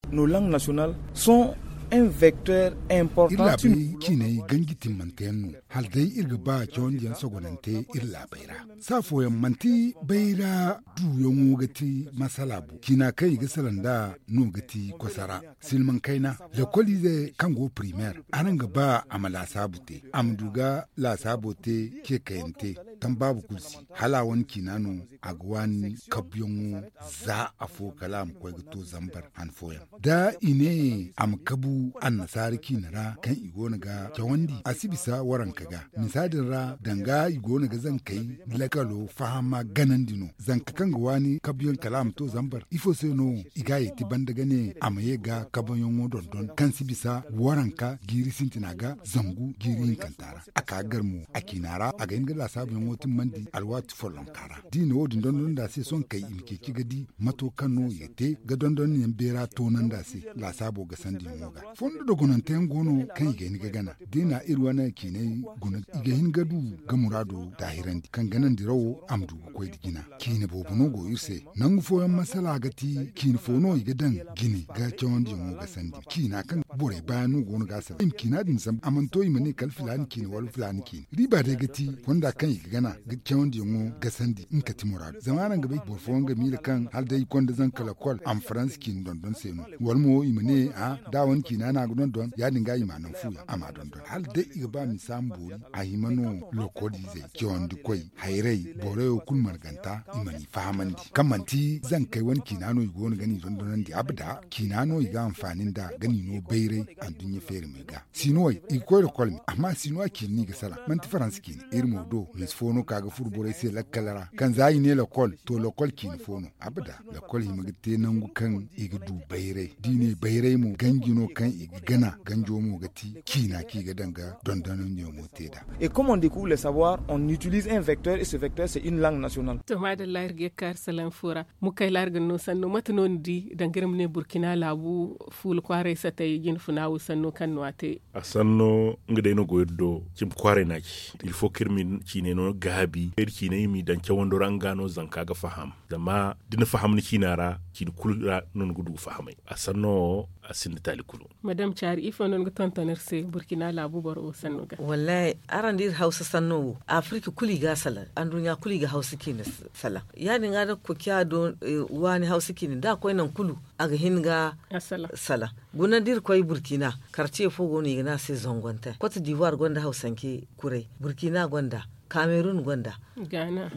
Iri laabey ciiney ganji timmante yaŋ no hala day iri ga ba cawandiyaŋ sogonante iri laabey ra. Saafooyaŋ manti bayra duuyaŋo ga ti masala bo ciina kaŋ i ga salaŋ nd'a no ga ti kosara silmaŋ kayna lekoliizey kaŋ go primeer araŋ ga ba a ma laasaabu te a ma du ga laasaabo te ceekayante tambaabu kulu si hala a wane ciina no a ga waani kabuyaŋo za afo kala a ma koy ga to zambar han fooyaŋ da i ne a ma kabu annasaara ciina ra kaŋ i go no ga cawandi a si bisa waranka ga misa din ra danga i go no ga zankey lakalo fahama ganandi no zanka kaŋ ga waani kabuyaŋ kala a ma to zambar ifo se no i ga a yeeti banda ga ne a ma ye ga kabuyaŋo dondon kaŋ si bisa waranka jiiri sintina ga zangu jiiri hinkanta ra a ka ga gar mo a ciina ra a ga hin ga laasaabuyaŋo timmandi alwaati follonka ra da i na wo- din dondon nd'a se sohõ kay i ma ceeci ga di mato kaŋ no i ga te ga dondonyaŋ beera toonandi a se laasaabo gasandiyaŋo ga fondo dogonante yaŋ go no kaŋ i ga hin ga gana da i na iri wane ciinay guna i ga hin ga du ga muraado daahirandi kaŋ ganandirawo a ma du ga koy nda jina ciine boobo no go iri se nangu fooyaŋ masala ga ti ciine fo no i ga daŋ jine ga cawandiyaŋo gasandi ciina kaŋ borey baayaŋ no go no ga a salaŋ i ma ciina din sambu a mana to i ma ne kala filaani ciine wala filaani ciine riiba day ga ti fonda kaŋ i ga gana ga cawandiyaŋo gasandi nga kati muraadu zama araŋ ga bay boro fooyaŋ ga miila kaŋ hala day i konda zanka lakol a ma faransa ciine dondon se no wala mo i ma ne a da a wane ciina no a ga dondon ya- din ga i ma a naŋ fu yaŋ a ma a dondon hala day i ga ba misa ma boori a hima no lokoliizey cawandi koy hayray boroyo kulu marganta i mana i fahamandi kaŋ manti zankey wane ciina no i go no ga ni dondonandi abada ciina no i ga anfaani nd'a ga ni no bayray anduɲɲa feeri me ga sinuwey i ga koy lokol me amma sinuwa ciine no i ga salaŋ manti faransa ciine iri mo do misa fo no ka ga furo borey se lakkal ra kaŋ za i ne lokol to lokol ciine fo no abada lokol hima ga te nangu kaŋ i ga du bayray da i ne bayray mo ganji no kaŋ i ga gana ganjo mo ga ti ciina kaŋ i ga daŋ ga dondonandiyaŋo te nd'a. Et comme on découvre le savoir on utilise un vecteur et ce vecteur c'est une langue nationale. To maadalla iri ga ye ga ka iri salaŋ fo ra mukayla iri ga ni no sanno mate no ni di danga iri ma ne burkina laabu fuula kwaaray satay jine funa wo sanno kaŋ no a te. A sanno nga day no go iri do cimi kwaaray no a ci il faut kaŋ iri ma ciinay no gaabi iri ciinay i m'i daŋ cawando ra nga no zanka ga faham zama da ni faham ni ciina ra ciini kulu ra no ni ga du ga fahamay a sanno wo a sinda taali kulu. Madame caari ifo no ni ga tonton iri se burkina laabu boro wo sanno ga? Wallahi araŋ da iri hawsa sanno wo afirika kulu i ga a salaŋ anduɲɲa kulu i ga hawsa ciina salaŋ ya- din ga da kokiya do waani hawsa ciina da a koy naŋ kulu a ga hin ga salaŋ guna da iri koy burkina karce fo go no i ga ne a se zangonte kote divuwar gonda hawsanke kuray burkina gonda kamerun gonda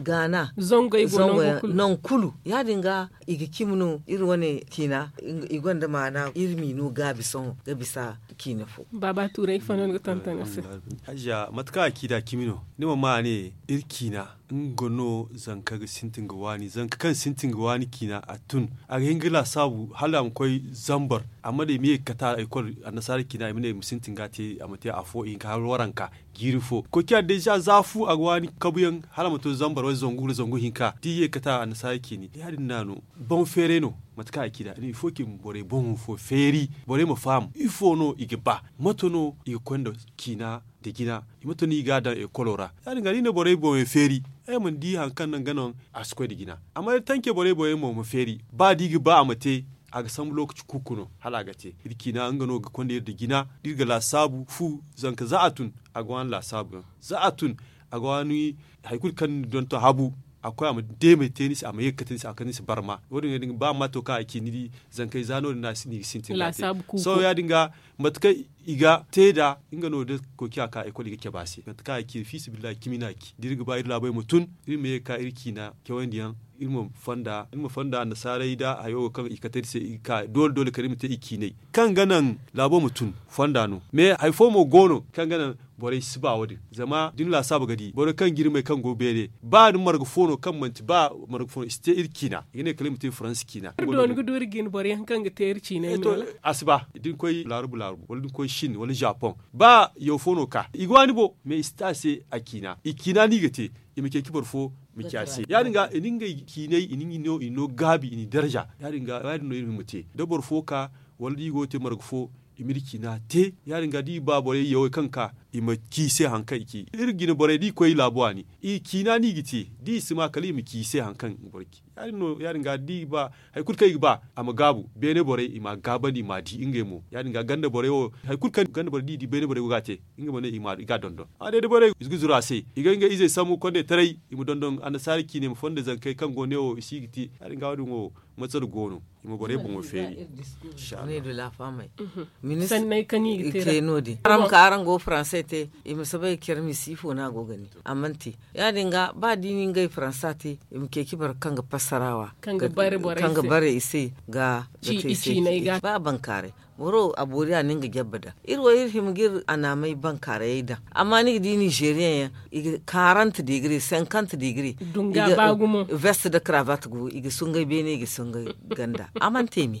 gaana zango yaŋ naŋ kulu ya- din ga i ga cimi no iri wane ciina i gonda maana iri m'i no gaabi sohõ ga bisa ciina fo. Baaba tuuray ifo no ni ga tonton iri se? Hajiya mate kaŋ a ci nd'a cimi no ni ma ma a ne iri ciina nga no zanka ga sintin ga waani zanka kaŋ sintin ga waani ciina a tun a ga hin ga laasaabu hala a ma koy zambar amma day i ma ye ga kate a ekol annasaara ciina i ma ne i ma sintin ga a te a ma te afo i hinka hala waranka jiiri fo koy ciya deeza za fu a ga waani kabuyaŋ hala a ma to zambar wala zangu wala zangu hinka da i ye ga kate annasaara ciini ya- din no a no boŋ feeray no. Mate kaŋ a ci nd'a il faut que borey boŋo fo feeri borey ma faham ifo no i ga ba mate no i ga koy nda ciina nda jina i mate no i ga a daŋ ekolo ra ya- din ga da i ne borey boŋey feeri ay mana di hari kaŋ naŋ ga naŋ a si koy nda jina amma day tanke borey boŋey mo ma feeri ba da i ga ba a ma te a ga sambu lookaci kuuku no hala a ga te iri ciina nga no ga konda iri nda jina da iri ga laasaabu fu zanka za a tun a ga waani laasaabu yaŋ za a tun a ga waani hari kulu kaŋ ni donton habu a ga koy a ma deemey te ni se a ma ye ga kate ni se a ga kate ni se barma wo- din ga ba a ma to kaŋ a ci ni di zankey za no- din no a ga sintin ga te sohõ ya- din ga mate kaŋ i ga te nd'a nga no da koy ciya ka ekol i ga cabe a se mate kaŋ a ci fiisabilillahi cimi no a ci da iri ga ba iri laabey ma tun iri ma ye ga ka iri ciina cawandi yaŋ iri ma fonda annasaarey nda hayo wo kaŋ i kate iri se i ga ka doole doole kala iri ma te i ciinay kaŋ ga naŋ laabo ma tun fonda no. Mais hari fo mo go no kaŋ ga naŋ borey si ba wo- din zama da ni laasaabu ga di borey kaŋ ga iri may kaŋ go beene ba ni marga fo no kaŋ manti ba marga fo no i si te iri ciina i ga ne kala iri ma te faransi ciina. Iri dooni ga du iri ga ni boro yaŋ kaŋ ga te iri ciinay no. A si ba da ni koy laarubu laarubu wala da ni koy sin wala japoŋ ba yaw fo no ka i ga waani bo mais i si te a se a ciina i ciina no i ga te. I ma ceeci boro fo ma ci a se ya- din ga i na ngey ciinay i na ngey no i na no gaabi i na i darza ya- din no iri ma te da boro fo ka wala da i go ga te marga fo i ma iri ciina te ya- din ga da i ba borey yawey kaŋ ga ka i ma ci i se hari kaŋ i ci iri jine borey da i koy laabu waani i ciina no i ga te da i si ma kala i ma ci i se hari kaŋ boro ci ya- din ga da i ba hari kulu kaŋ i ga ba a ma gaabu beene borey i m'a gaabandi i m'a di ngey mo ya- din ga ganda borey wo hari kulu kaŋ ganda borey da i di beene borey go ga a te. Ngey mo ne i ga a dondon amma day da borey i ga zuru a se i ga ngey izey sambu kondey taray i ma dondon annasaara ciinay ma fondo zankey kaŋ go ne wo i si ga te ya- din ga wo- din wo matsala go no i ma borey boŋo feeri. Sanney da laafaamey. Sanney kaŋ i ga te ra no- din araŋ ma ka araŋ go ga faranse te i ma si bay care misi ifo no a go ga ne a mana te. Ya- din ga ba da i na ngey faransa te i ma ceeci boro kaŋ ga fassarawa kaŋ ga bare i se ga ga te i se ba bankaaray. Boro a boori a na nga jabba daŋ iri wo iri hima ga iri anaamey bankaarayey daŋ amma ni ga di nizeeriyaŋ yaŋ i ga karanta digiri senkanta digiri. Dunga ba gumo vest da karavat go i ga sungay beene i ga sungay ganda a mana te me.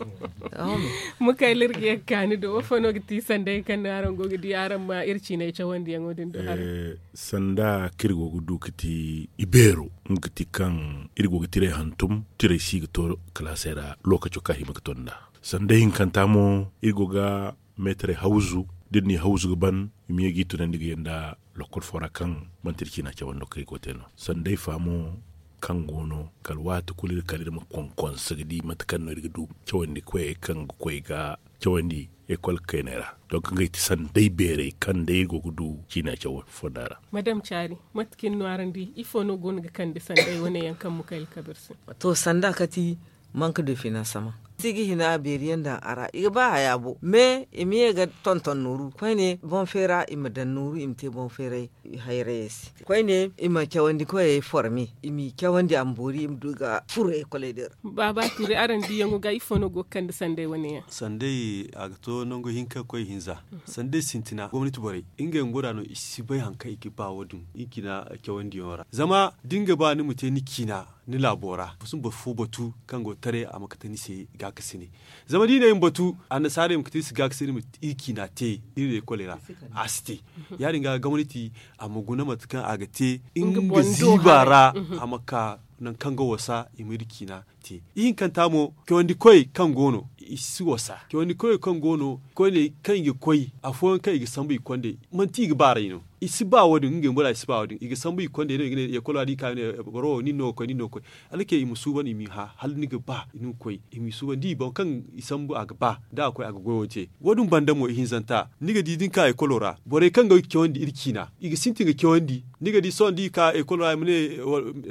Mukayla iri ga ye ga kaani do wafo no ga ti sanday kaŋ no araŋ go ga di araŋ ma iri ciinay cawandiyaŋo din do haray. Sanda kaŋ iri go ga du ga ti ibeero nga ga ti kaŋ iri go ga tiray hantum tiray si ga to kalaasey ra lookaco kaŋ a hima ga to nd'a. Sanda hinkanta mo iri go ga meetarey hawzu da iri n'i hawzu ga ban i ma ye g'i tunandi ga yanda lokol fo ra kaŋ manti iri ciina cawando kaŋ iri go ga te no sanday fa mo kaŋ go no kala waati kulu iri kala iri ma konkonse ga di mate kaŋ no iri ga du cawandi koyey kaŋ ga koy ga cawandi ekol kayney ra. Donk ngey ti sanday beerey kaŋ day iri go ga du ciina cawo fonda ra. Madam caari mate kaŋ iri no araŋ di ifo no go no ga kande sanday wane yaŋ kaŋ mukayla kabir se? To sanda kati manque de financement si ga hina beeri yaŋ daŋ a ra i ga ba haya bo mais i ma ye ga tonton nooru koyne boŋ feera i ma daŋ nooru i ma te boŋ feeray hayrayey se koyne i ma cawandi koyey forme i m'i cawandi a ma boori i ma du ga furo ekoley din ra. Baaba tuuri araŋ diyaŋo ga ifo no go ga kande sanday wane yaŋ? Sanday a ga to nangu hinka ga koy hinza sanday sintina gomnati borey ngey ma gora no i si bay hari kaŋ i ga ba wo- din i ciina cawandiyaŋo ra zama da ni ga ba ni ma te ni ciina ni laabo ra ma si ma boro fo batu kaŋ go ga taray a ma kate ni se gaakasine. Zama da i ne i ma batu annasaarey ma kate iri se gaakasine iri ma iri ciina te iri leekoley ra a si te. Ya- din ga gomnati a ma guna mate kaŋ a ga te nga ziiba ra a ma ka nangu kaŋ ga wasa i ma iri ciina te. Ihinkanta mo cawandi koyey kaŋ go no i si wasa cawandi koyey kaŋ go no koyne kaŋ i ga koy afooyaŋ kaŋ i ga sambu i kondey manti i ga baaray no. I si ba wo- din ngey bora i si ba wo- din i ga sambu i kondey no i ga ne ekol ra da i ka i ne boro wo nin no ga koy nin no ga koy. Hala kay i ma suuban i m'i hã hala ni ga ba ni ma koy i m'i suuban da i boŋ kaŋ i sambu a ga ba da a koy a ga goyo te. Wo- din banda mo ihinzanta ni ga di da ni ka ekolo ra borey kaŋ ga cawandi iri ciina i ga sintin ga cawandi. Ni ga di sohõ da i ka ekolo ra i ma ne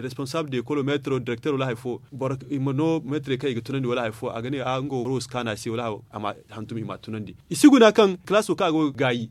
responsable de ekolo meetaro direkter wala hari fo boro i ma no meetarey kaŋ i ga tunandi wala hari fo a ga ne a nga wo boro wo si kaanu a se wala hari fo a ma hantum i m'a tunandi. I si guna kaŋ kalaaso kaŋ a go ga gaayi.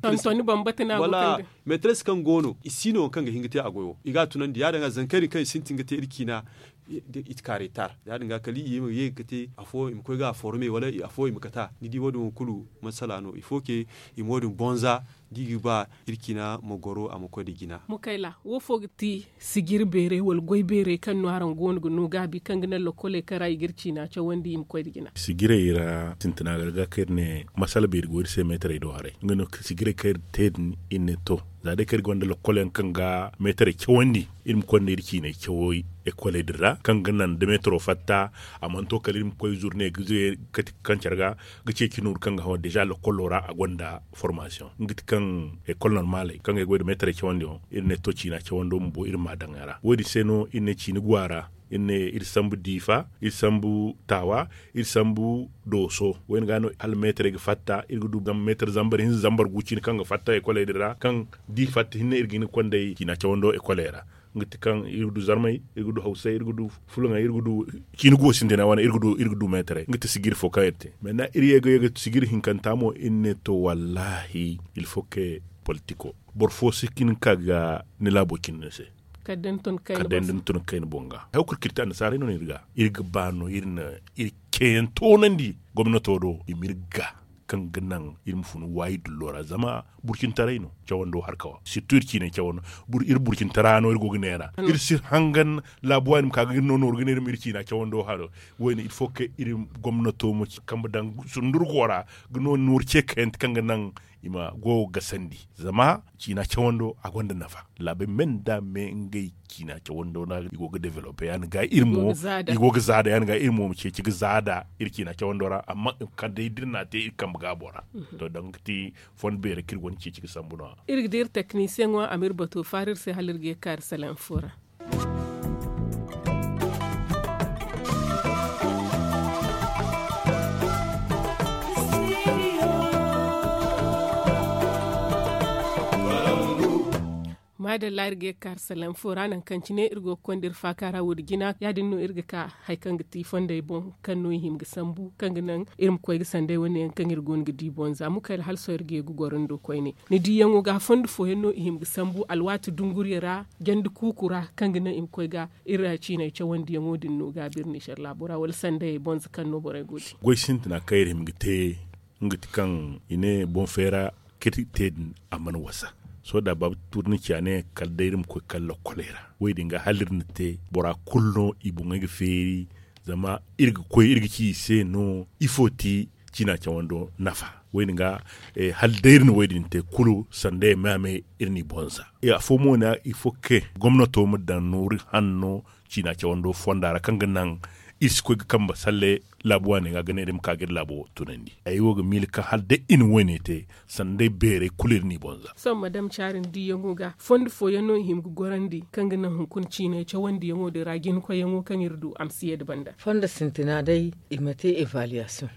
Meetarey si kaŋ go no i si no waŋ kaŋ ga hin ga te a goyo i ga a tunandi ya- din ga zankari kaŋ i sintin ga te iri ciina. Iti ka retar ya- din ga kala i ye ga te afo i ma koy ga a forme wala afo i ma kata ni di wo- din wo kulu masala no il faut que i ma wo- din bonza da i ga ba iri ciina ma goro a ma koy nda jina. Mukayla wo fo ga ti sijiri beeray wala goy beeray kaŋ no araŋ go no ga no gaabi kaŋ ga naŋ lokoley kaŋ ra i ga iri ciina cawandi i ma koy nda jina? Sijirey ra sintina ga ga kaŋ iri ne masala beeri go iri se meetarey do haray nga no sijirey kaŋ iri te din iri ne to za day kaŋ iri gonda lokol yaŋ kaŋ ga meetarey cawandi iri ma konda iri ciinay cawey ekoley din ra kaŋ ga naŋ da meetaro fatta a mana to kala iri ma koy zurne ga zire kati kaŋ care ga ga ceeci nooru kaŋ ga haw deja lokolo ra a gonda formasiyoŋ nga ti kaŋ ekol normaley kaŋ ga ay goy nda meetarey cawandiyaŋ iri ne to ciina cawando bumbo iri ma a daŋ a ra wo- din se no iri ne ciina go a ra. Iri ne iri sambu diifa iri sambu taawa iri sambu dooso wo- din ga no hala meetarey ga fatta iri ga du meetar zambar hinza zambar gu ciina kaŋ ga fatta ekoley din ra kaŋ da i fatta hinne iri ga hin ga konda ay ciina cawando ekoley ra. Nga ti kaŋ iri ga du zarmey iri ga du hawsay iri ga du fulaŋey iri ga du ciina go sintina wane iri ga du meetarey nga ti sijiri fo kaŋ iri te mais na iri ye ga ye ga sijiri hinkanta mo iri ne to wallahi il faut que politiko boro fo si hin ga ka ga ni laabo cindi ni se. Kala day ni tun kayna boŋ ga. Hay wo kulu kaŋ iri te annasaarey no no iri ga iri ga ba no iri na iri ceeyaŋ toonandi gomnato do i ma iri ga kaŋ ga naŋ iri ma fun waayi dullo ra zama burcintaray no cawando harka wa sirtu iri ciinay cawando. Iri burcintara no iri go ga neera iri si hangan laabu waani ma ka ga iri no nooru ga ne iri ma iri ciina cawando haro. Wo- din iri fo ga iri gomnato ma ci kambe daŋ sundurgo ra ga no nooru ce kayante kaŋ ga naŋ i ma go ga sandi zama ciina cawando a gonda nafa. Laabey me nda me ngey ciina cawando ra i go ga developpe ya- din ga iri mo i go ga zaada ya- din ga iri mo ma ceeci ga zaada iri ciina cawando ra amma kala day da iri n'a te iri kambe gaabo ra. To danga ga ti fondo beeri kaŋ iri gonda ceeci ga sambu no- ya. Iri ga di iri teknisiyeŋo a ma iri bato faara iri se hala iri ga ye ga ka iri salaŋ fo ra. Maadalla iri ga ye ga ka iri salaŋ fo ra nangu kaŋ cine iri go ga konda iri faaka ra wo- din jina ya- din no iri ga ka hari kaŋ ga ti fondey boŋ kaŋ no i hima ga sambu kaŋ ga naŋ iri ma koy ga sanday wane yaŋ kaŋ iri go no ga di boŋ za mukayla hala sohõ iri ga ye ga goro ni do koyne. Ni diyaŋo ga fondo fooyaŋ no i hima ga sambu alwaati dunguriya ra jandi kuuku ra kaŋ ga naŋ i ma koy ga iri ra ciinay cawandiyaŋo din no gaabi iri nizer laabo ra wala sandayey boŋ za kaŋ no borey go ga te. Goy sintina kaŋ iri hima ga te nga ti kaŋ i ne boŋ feera kaŋ iri te din a mana wasa. Sohõ da baaba tuuri ni ci a ne kala day iri ma koy kala lokkoley ra wo- din ga hala iri na te bora kulu no i boŋey ga feeri. Zama iri ga koy iri ga ci i se no ifo ti ciina cawando nafa wo- din ga hala day iri na wo- din te kulu sanda ya me a me iri n'i boŋ za. Afo mo ne ifo ga ke gomnato ma daŋ nooru hanno ciina cawando fonda ra kaŋ ga naŋ iri si koy ga kambe salle laabu waaney ga ga ne iri ma ka ga iri laabo tunandi ay wo ga miila kaŋ hala day i na wo- ne te sanda day beerey kulu iri n'i boŋ za. Sohõ madam caari ni diiyaŋo ga fondo fooyaŋ no i hima ga gorandi kaŋ ga naŋ hunkuna ciinay cawandiyaŋo din ra jinkoyyaŋo kaŋ iri du a ma si ye nda banda. Fondo sintina day i ma te evaluwaasiyoŋ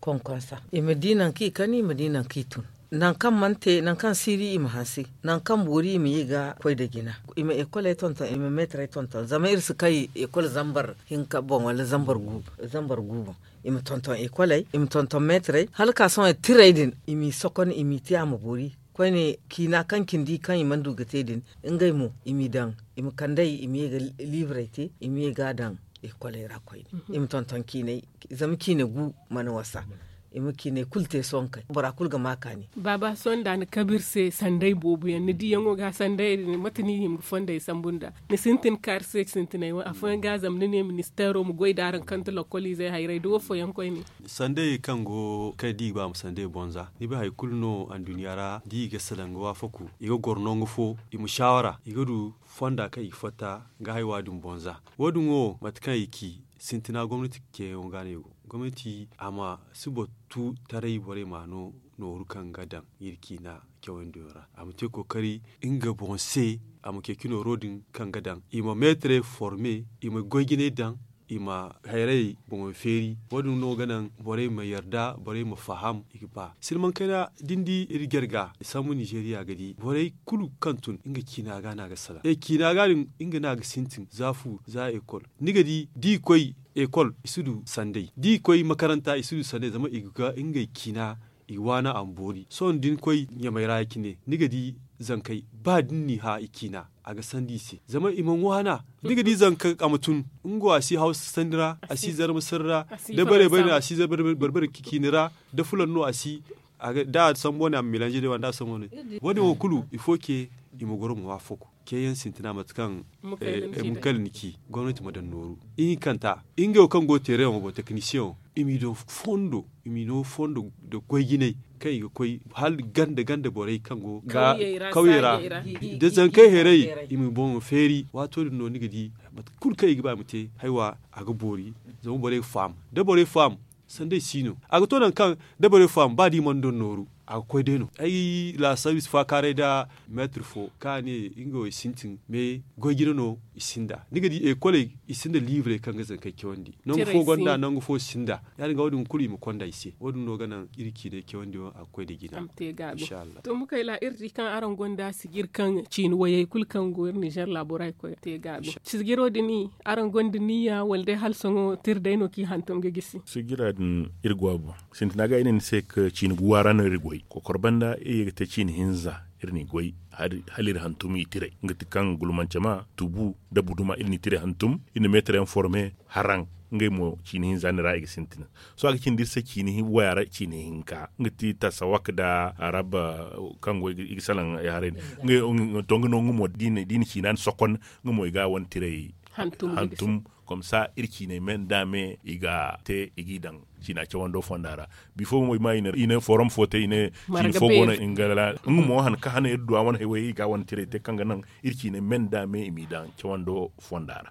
konkonsa i ma di nangu kaŋ i kan i ma di nangu kaŋ i tun. Nangu kaŋ mana te nangu kaŋ siiri i ma hanse nangu kaŋ boori i ma ye ga koy nda jina i ma ekoley tonton i ma meetarey tonton zama iri si kay ekol zambar hinka boŋ wala zambar gu boŋ i ma tonton ekoley i ma tonton meetarey hala ka sohõ tirey din i m'i sokon i m'i te a ma boori. Koyne ciina kaŋ cindi kaŋ i mana du ga te din ngey mo i m'i daŋ i ma kand'ey i ma ye ga liibrey te i ma ye ga a daŋ ekoley ra koyne i ma tonton ciiney zama ciine gu mana wasa. I ma ciiney kulu te sonkey bora kulu ga ma kaani. Baaba sohõ nda ni kabe iri se sanday boobo yaŋ ni diiyaŋo ga sanday din mate no i hima ga fondey sambu nda ni sintin kaari se sintinay wo afooyaŋ ga zama ni ne ministeero ma goy nda araŋ kante lokkol izey hayray da wo fooyaŋ koyne. Sanday kaŋ go kaŋ i di i ga ba ma sanday boŋ za ni bay hari kulu no anduɲɲa ra da i ga salaŋ ga waafaku i ga goro nangu fo i ma saawara i ga du fonda kaŋ i ga fatta ga haywa din boŋ za. Wo- din wo mate kaŋ i ci sintina gomnati ceeyaŋo ga no i go gomnati a ma si boro tu taray borey ma no nooru kaŋ ga daŋ iri ciina cawandiyaŋo ra a ma te kookari nga boŋ se a ma ceeci nooro din kaŋ ga daŋ i ma meetarey forme i ma goy-jinay daŋ i ma hayrayey boŋo feeri. Wo- din no ga naŋ borey ma yarda borey ma faham i ga ba silmaŋ kayna da ni di iri jarga i sambu ninzeeriya ga di borey kulu kaŋ tun nga ciina ga no a ga salaŋ e ciina ga din nga no a ga sintin za fu za ekol ni ga di da i koy ekol i si du sanday da i koy makaranta i si du sanday zama i ga ngey ciina i waana a ma boori sohõ da ni koy ɲamay ra ya- cine ni ga di zankey ba da ni n'i hã i ciina a ga sandi i se zama i mana waana. Ni ga di zanka a ma tun nga wo a si hawsa sanni ra a si zarma sanni ra da bare bare no a si zarma bare bare ciini ra da fulan no a si da a sambu wane a ma melanze day wane da a sambu wane wo- din wo kulu il faut que i ma goro ma waafaku ceeyaŋ sintina mate kaŋ mukayla ni ci gomnati ma daŋ nooru ihinkanta ngey wo kaŋ go teereyaŋo boŋ teknisiyeŋo i m'i daŋ fondo i m'i no fondo nda goy-jinay kaŋ i ga koy hala ganda ganda borey kaŋ go kawyey ra da zankey heray i ma boŋo feeri waato din no ni ga di mate kulu kaŋ i ga ba i ma te haywa a ga boori zama borey ga faham da borey faham sanday si no a ga to nangu kaŋ da borey faham ba da i mana daŋ nooru a ga koy day no ay laasaabu i si faakaaray nda meetir fo kaŋ a ne nga wo i sintin me goy-jine no i sinda ni ga di ekoley i sinda liibrey kaŋ ga zankey cawandi nangu fo gonda nangu fo sinda ya- din ga wo- din kulu i ma konda i se wo- din no ga naŋ iri ciinay cawandi wo a ga koy nda jina inshallah. To mukayla iri di kaŋ araŋ gonda sijir kaŋ ciini wayey kulu kaŋ go iri nizer laabo ra i koy te gaabi sijiro din araŋ gonda niyya wala day hala sohõ tira day no kaŋ i hantum ga gisi sijira din iri go a boŋ sintina ga ay ne ni se ka ciini guwa ra no iri goy Kokor banda iri ye ga te ciini hinza, iri n'i goy hala iri hantum i tiray nga ti kaŋ gulmance ma tubu nda buduma iri n'i tiray hantum. Iri na meetar yaŋ forme haraŋ, ngey mo ciini hinza ni ra i ga sintin. Sohõ a ga cindi iri se ciini waya ra ciini hinka nga ti tasawak nda arab kaŋ go i ga salaŋ ay haray. To nga no nga mo da i na ciina ni sokon nga mo i ga a wane tiray hantum. Komsa iri ciiney me nda me i ga te i g'i daŋ ciina cawando fonda ra. Bifo mo i ma i ne forom fo te i ne ciini fo go no nga ra nga mo han ka hana iri du a wane haywey i ga a wane tiray te kaŋ ga naŋ iri ciiney me nda me i m'i daŋ cawando fonda ra.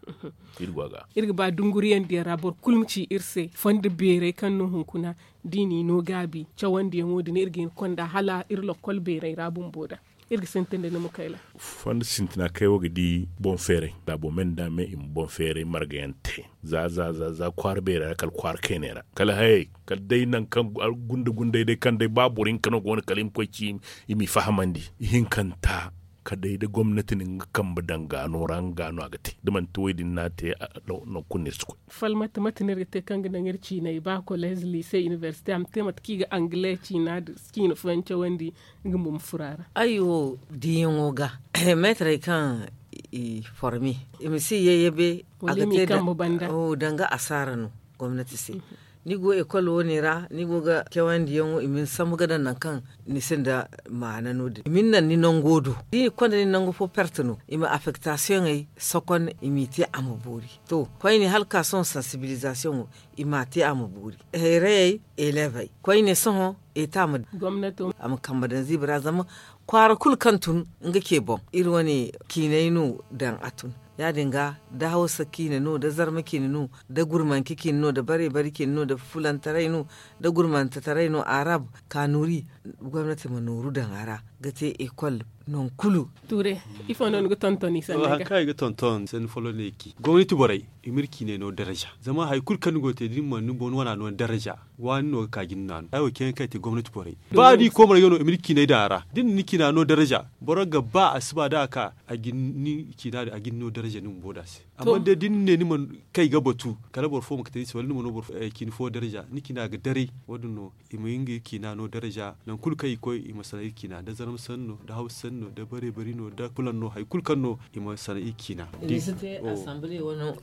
Iri go a ga iri ga ba dunguriyandiyaŋ ra boro kulu ma ci iri se fondo beerey kaŋ no hunkuna da i n'i no gaabi cawandiyaŋo din iri ga hin konda hala iri lokkol beerey ra bumbo da. Iri ga sintin da ni ma kayla. Fondo sintina kaŋ ay wo ga di boŋ feeray laabo me nda me i ma boŋ feeray margayaŋ te za za za kwaara beerey ra kala kwaara kayney ra kala hayey kala day nangu kaŋ gunda gundey day kaŋ day ba boro hinka no go no kala i ma koy ci i m'i fahamandi. Ihinkanta kala day da gomnati na nga kambe daŋ gaano ra nga gaano a ga te da manti wo- din no a te. Nangu kulu no iri si koy. Falmata mate no iri ga te kaŋ ga naŋ iri ciinay ba koleez liise inibersite a ma te mate kaŋ i ga angale ciina da ciina fooyaŋ cawandi nga mo ma furo a ra. Ay wo diiyaŋo ga meetarey kaŋ i forme i ma si yayyabe a ga te danga asaara no gomnati se. Ni go ekol wo- ne ra ni go ga cawandiyaŋo i ma ni sambu ga daŋ nangu kaŋ ni sinda maana no- din i ma ni naŋ ni nango do da i na konda ni nangu fo perte no i ma afektasiyoŋey sokon i m'i te a ma boori. To koyne hala ka sohõ sansibilizasiyoŋo i m'a te a ma boori. Hayrayey elevey koyne sohõ eta ma a ma kambe daŋ ziibi ra zama kwaara kulu kaŋ tun nga ce boŋ iri wane ciinay no daŋ a tun. Ya- din ga da hawsa ciine no da zarma ciine no da gurmanci ciine no da bare bare ciine no da fulantaray no da gurmantataray no arab kanuri gomnati ma nooru daŋ a ra ga te ekol. Nangu kulu. Tuure ifo no ni ga tonton i sanni ga hari kaŋ i ga tonton sanni folo no i ci gomnati borey i ma iri ciinay no daraza zama hari kulu kaŋ ni go ga te da ni mana ni boŋ ni wana no daraza waani no ga ka ga ni naanu ay wo ceeyaŋ kaŋ i te gomnati borey ba da i koy marga no i ma ni ciinay daŋ a ra da ni na ni ciina no daraza boro ga ba a si ba da a ka a ga ni ciina din a ga ni no daraza ni bumbo da a se. Amma day da ni ne ni mana kay ga batu kala boro fo ma ga te ni se wala ni ma no boro fo ciina fo daraza ni ciina ga daray wo- din no i ma nga ciina no daraza nangu kulu kaŋ i koy i ma sanaŋ iri ciina da zarma sanni no da hawsa sanni no da bare bari no da kulaŋ no hari kulu kaŋ no i ma sanaŋ iri ciina.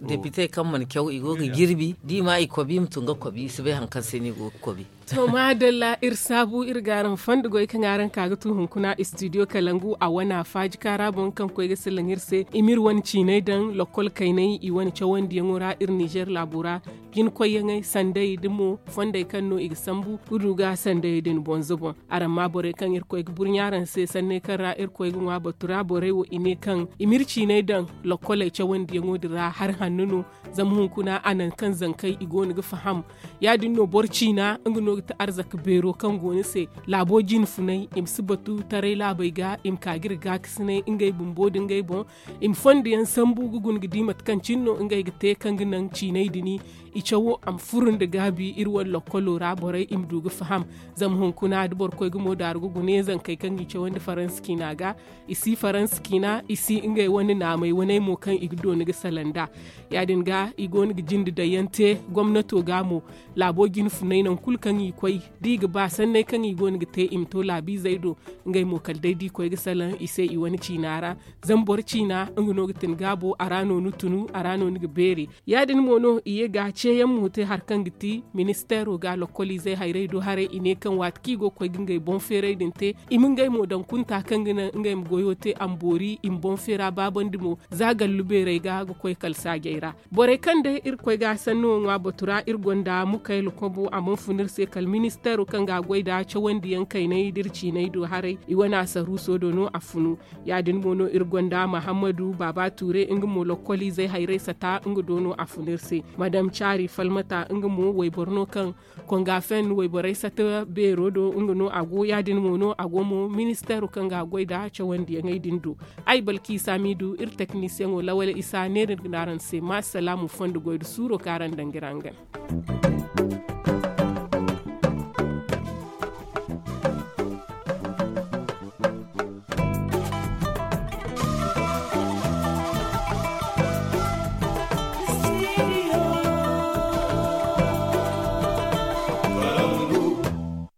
Depite kaŋ mana caw i go ga jirbi da i ma i kobi i ma tun ga kobi i si bay hari kaŋ se no i go ga kobi. To maadalla iri saabu iri ga araŋ fondo goy kaŋ araŋ ka ga tu hunkuna istidiyo kalangu a wana faaji kaara boŋ kaŋ koy ga silaŋ iri se i ma iri wane ciinay daŋ lokkol kaynay i wane cawandiyaŋo ra iri nizer laabo ra. Jinkoyyaŋey sanday da mo fondey kaŋ no i ga sambu ga du ga sandayey din bonzo boŋ. Araŋ ma borey kaŋ iri koy ga burɲa araŋ se sanney kaŋ ra iri koy ga ŋwa batu ra borey wo i ne kaŋ i ma iri ciinay daŋ lokkoley cawandiyaŋo din ra hari hanno no. Zama hunkuna a naŋ kaŋ zankey i go no ga faham. Ya- din no boro ciina nga no ga ti arzaka beero kaŋ go ni se laabo jine funay i ma si batu taray laabey ga i ma ka ga iri gaakasinay ngey bumbo nda ngey boŋ. I ma fondo yaŋ sambu ga guna ga di mate kaŋ cine no ngey ga te kaŋ ga naŋ ciinay din i cawo a ma furo nda gaabi iri wane lokkolo ra borey i ma du ga faham. Zama hunkuna da boro koy ga mo daaru ga guna yaŋ zankey kaŋ ga i cawandi faransa ciina ga i si faransa ciina i si ngey wane naamey waney mo kaŋ i ga dooni ga salaŋ nd'a. Ya- din ga i go no ga jinde daŋ yaŋ te gomnato ga mo laabo jine funay nangu kulu kaŋ i koy da i ga ba sanney kaŋ i go no ga te i ma to laabiizey do. Ngey mo kala day da i koy ga salaŋ i se i wane ciina ra. Zama boro ciina nga no ga tin gaabo a ra no ni tunu a ra no ni ga beeri. Ya- din mo no i ye ga ceeyaŋ mo te hari kaŋ ga ti ministeero ga lokkoliizey hayrey do haray i ne kaŋ waati kaŋ i go ga koy ga ngey boŋ feeray din te i ma ngey mo daŋ kunta kaŋ ga naŋ ngey ma goyo te a ma boori i ma boŋ feera baabandi mo. Za gallu beerey ga ga koy kala saajey ra borey kaŋ day irkoy ga sanno ŋwa batu ra iri gonda mukayla kobo a mana fun iri se kala ministeero kaŋ ga goy nda cawandiyaŋ kaynay da iri ciinay do haray i wane asaruuso do no a funu. Ya- din mo no iri gonda mahammadu baaba tuure nga mo lokkoliizey hayrey sata nga do no a fun iri se. Madam caari falmata nga mo wayboro no kaŋ konga fen wayborey sata beero do nga no a go ya- din mo no a go mo ministeero kaŋ ga goy nda cawandiyaŋey din do. Ay balki saamiidu iri teknisiyaŋo lawal isa neera iri ga ne araŋ se ma salaamu fondo goy nda suuro kaŋ araŋ daŋ ga iri hangan.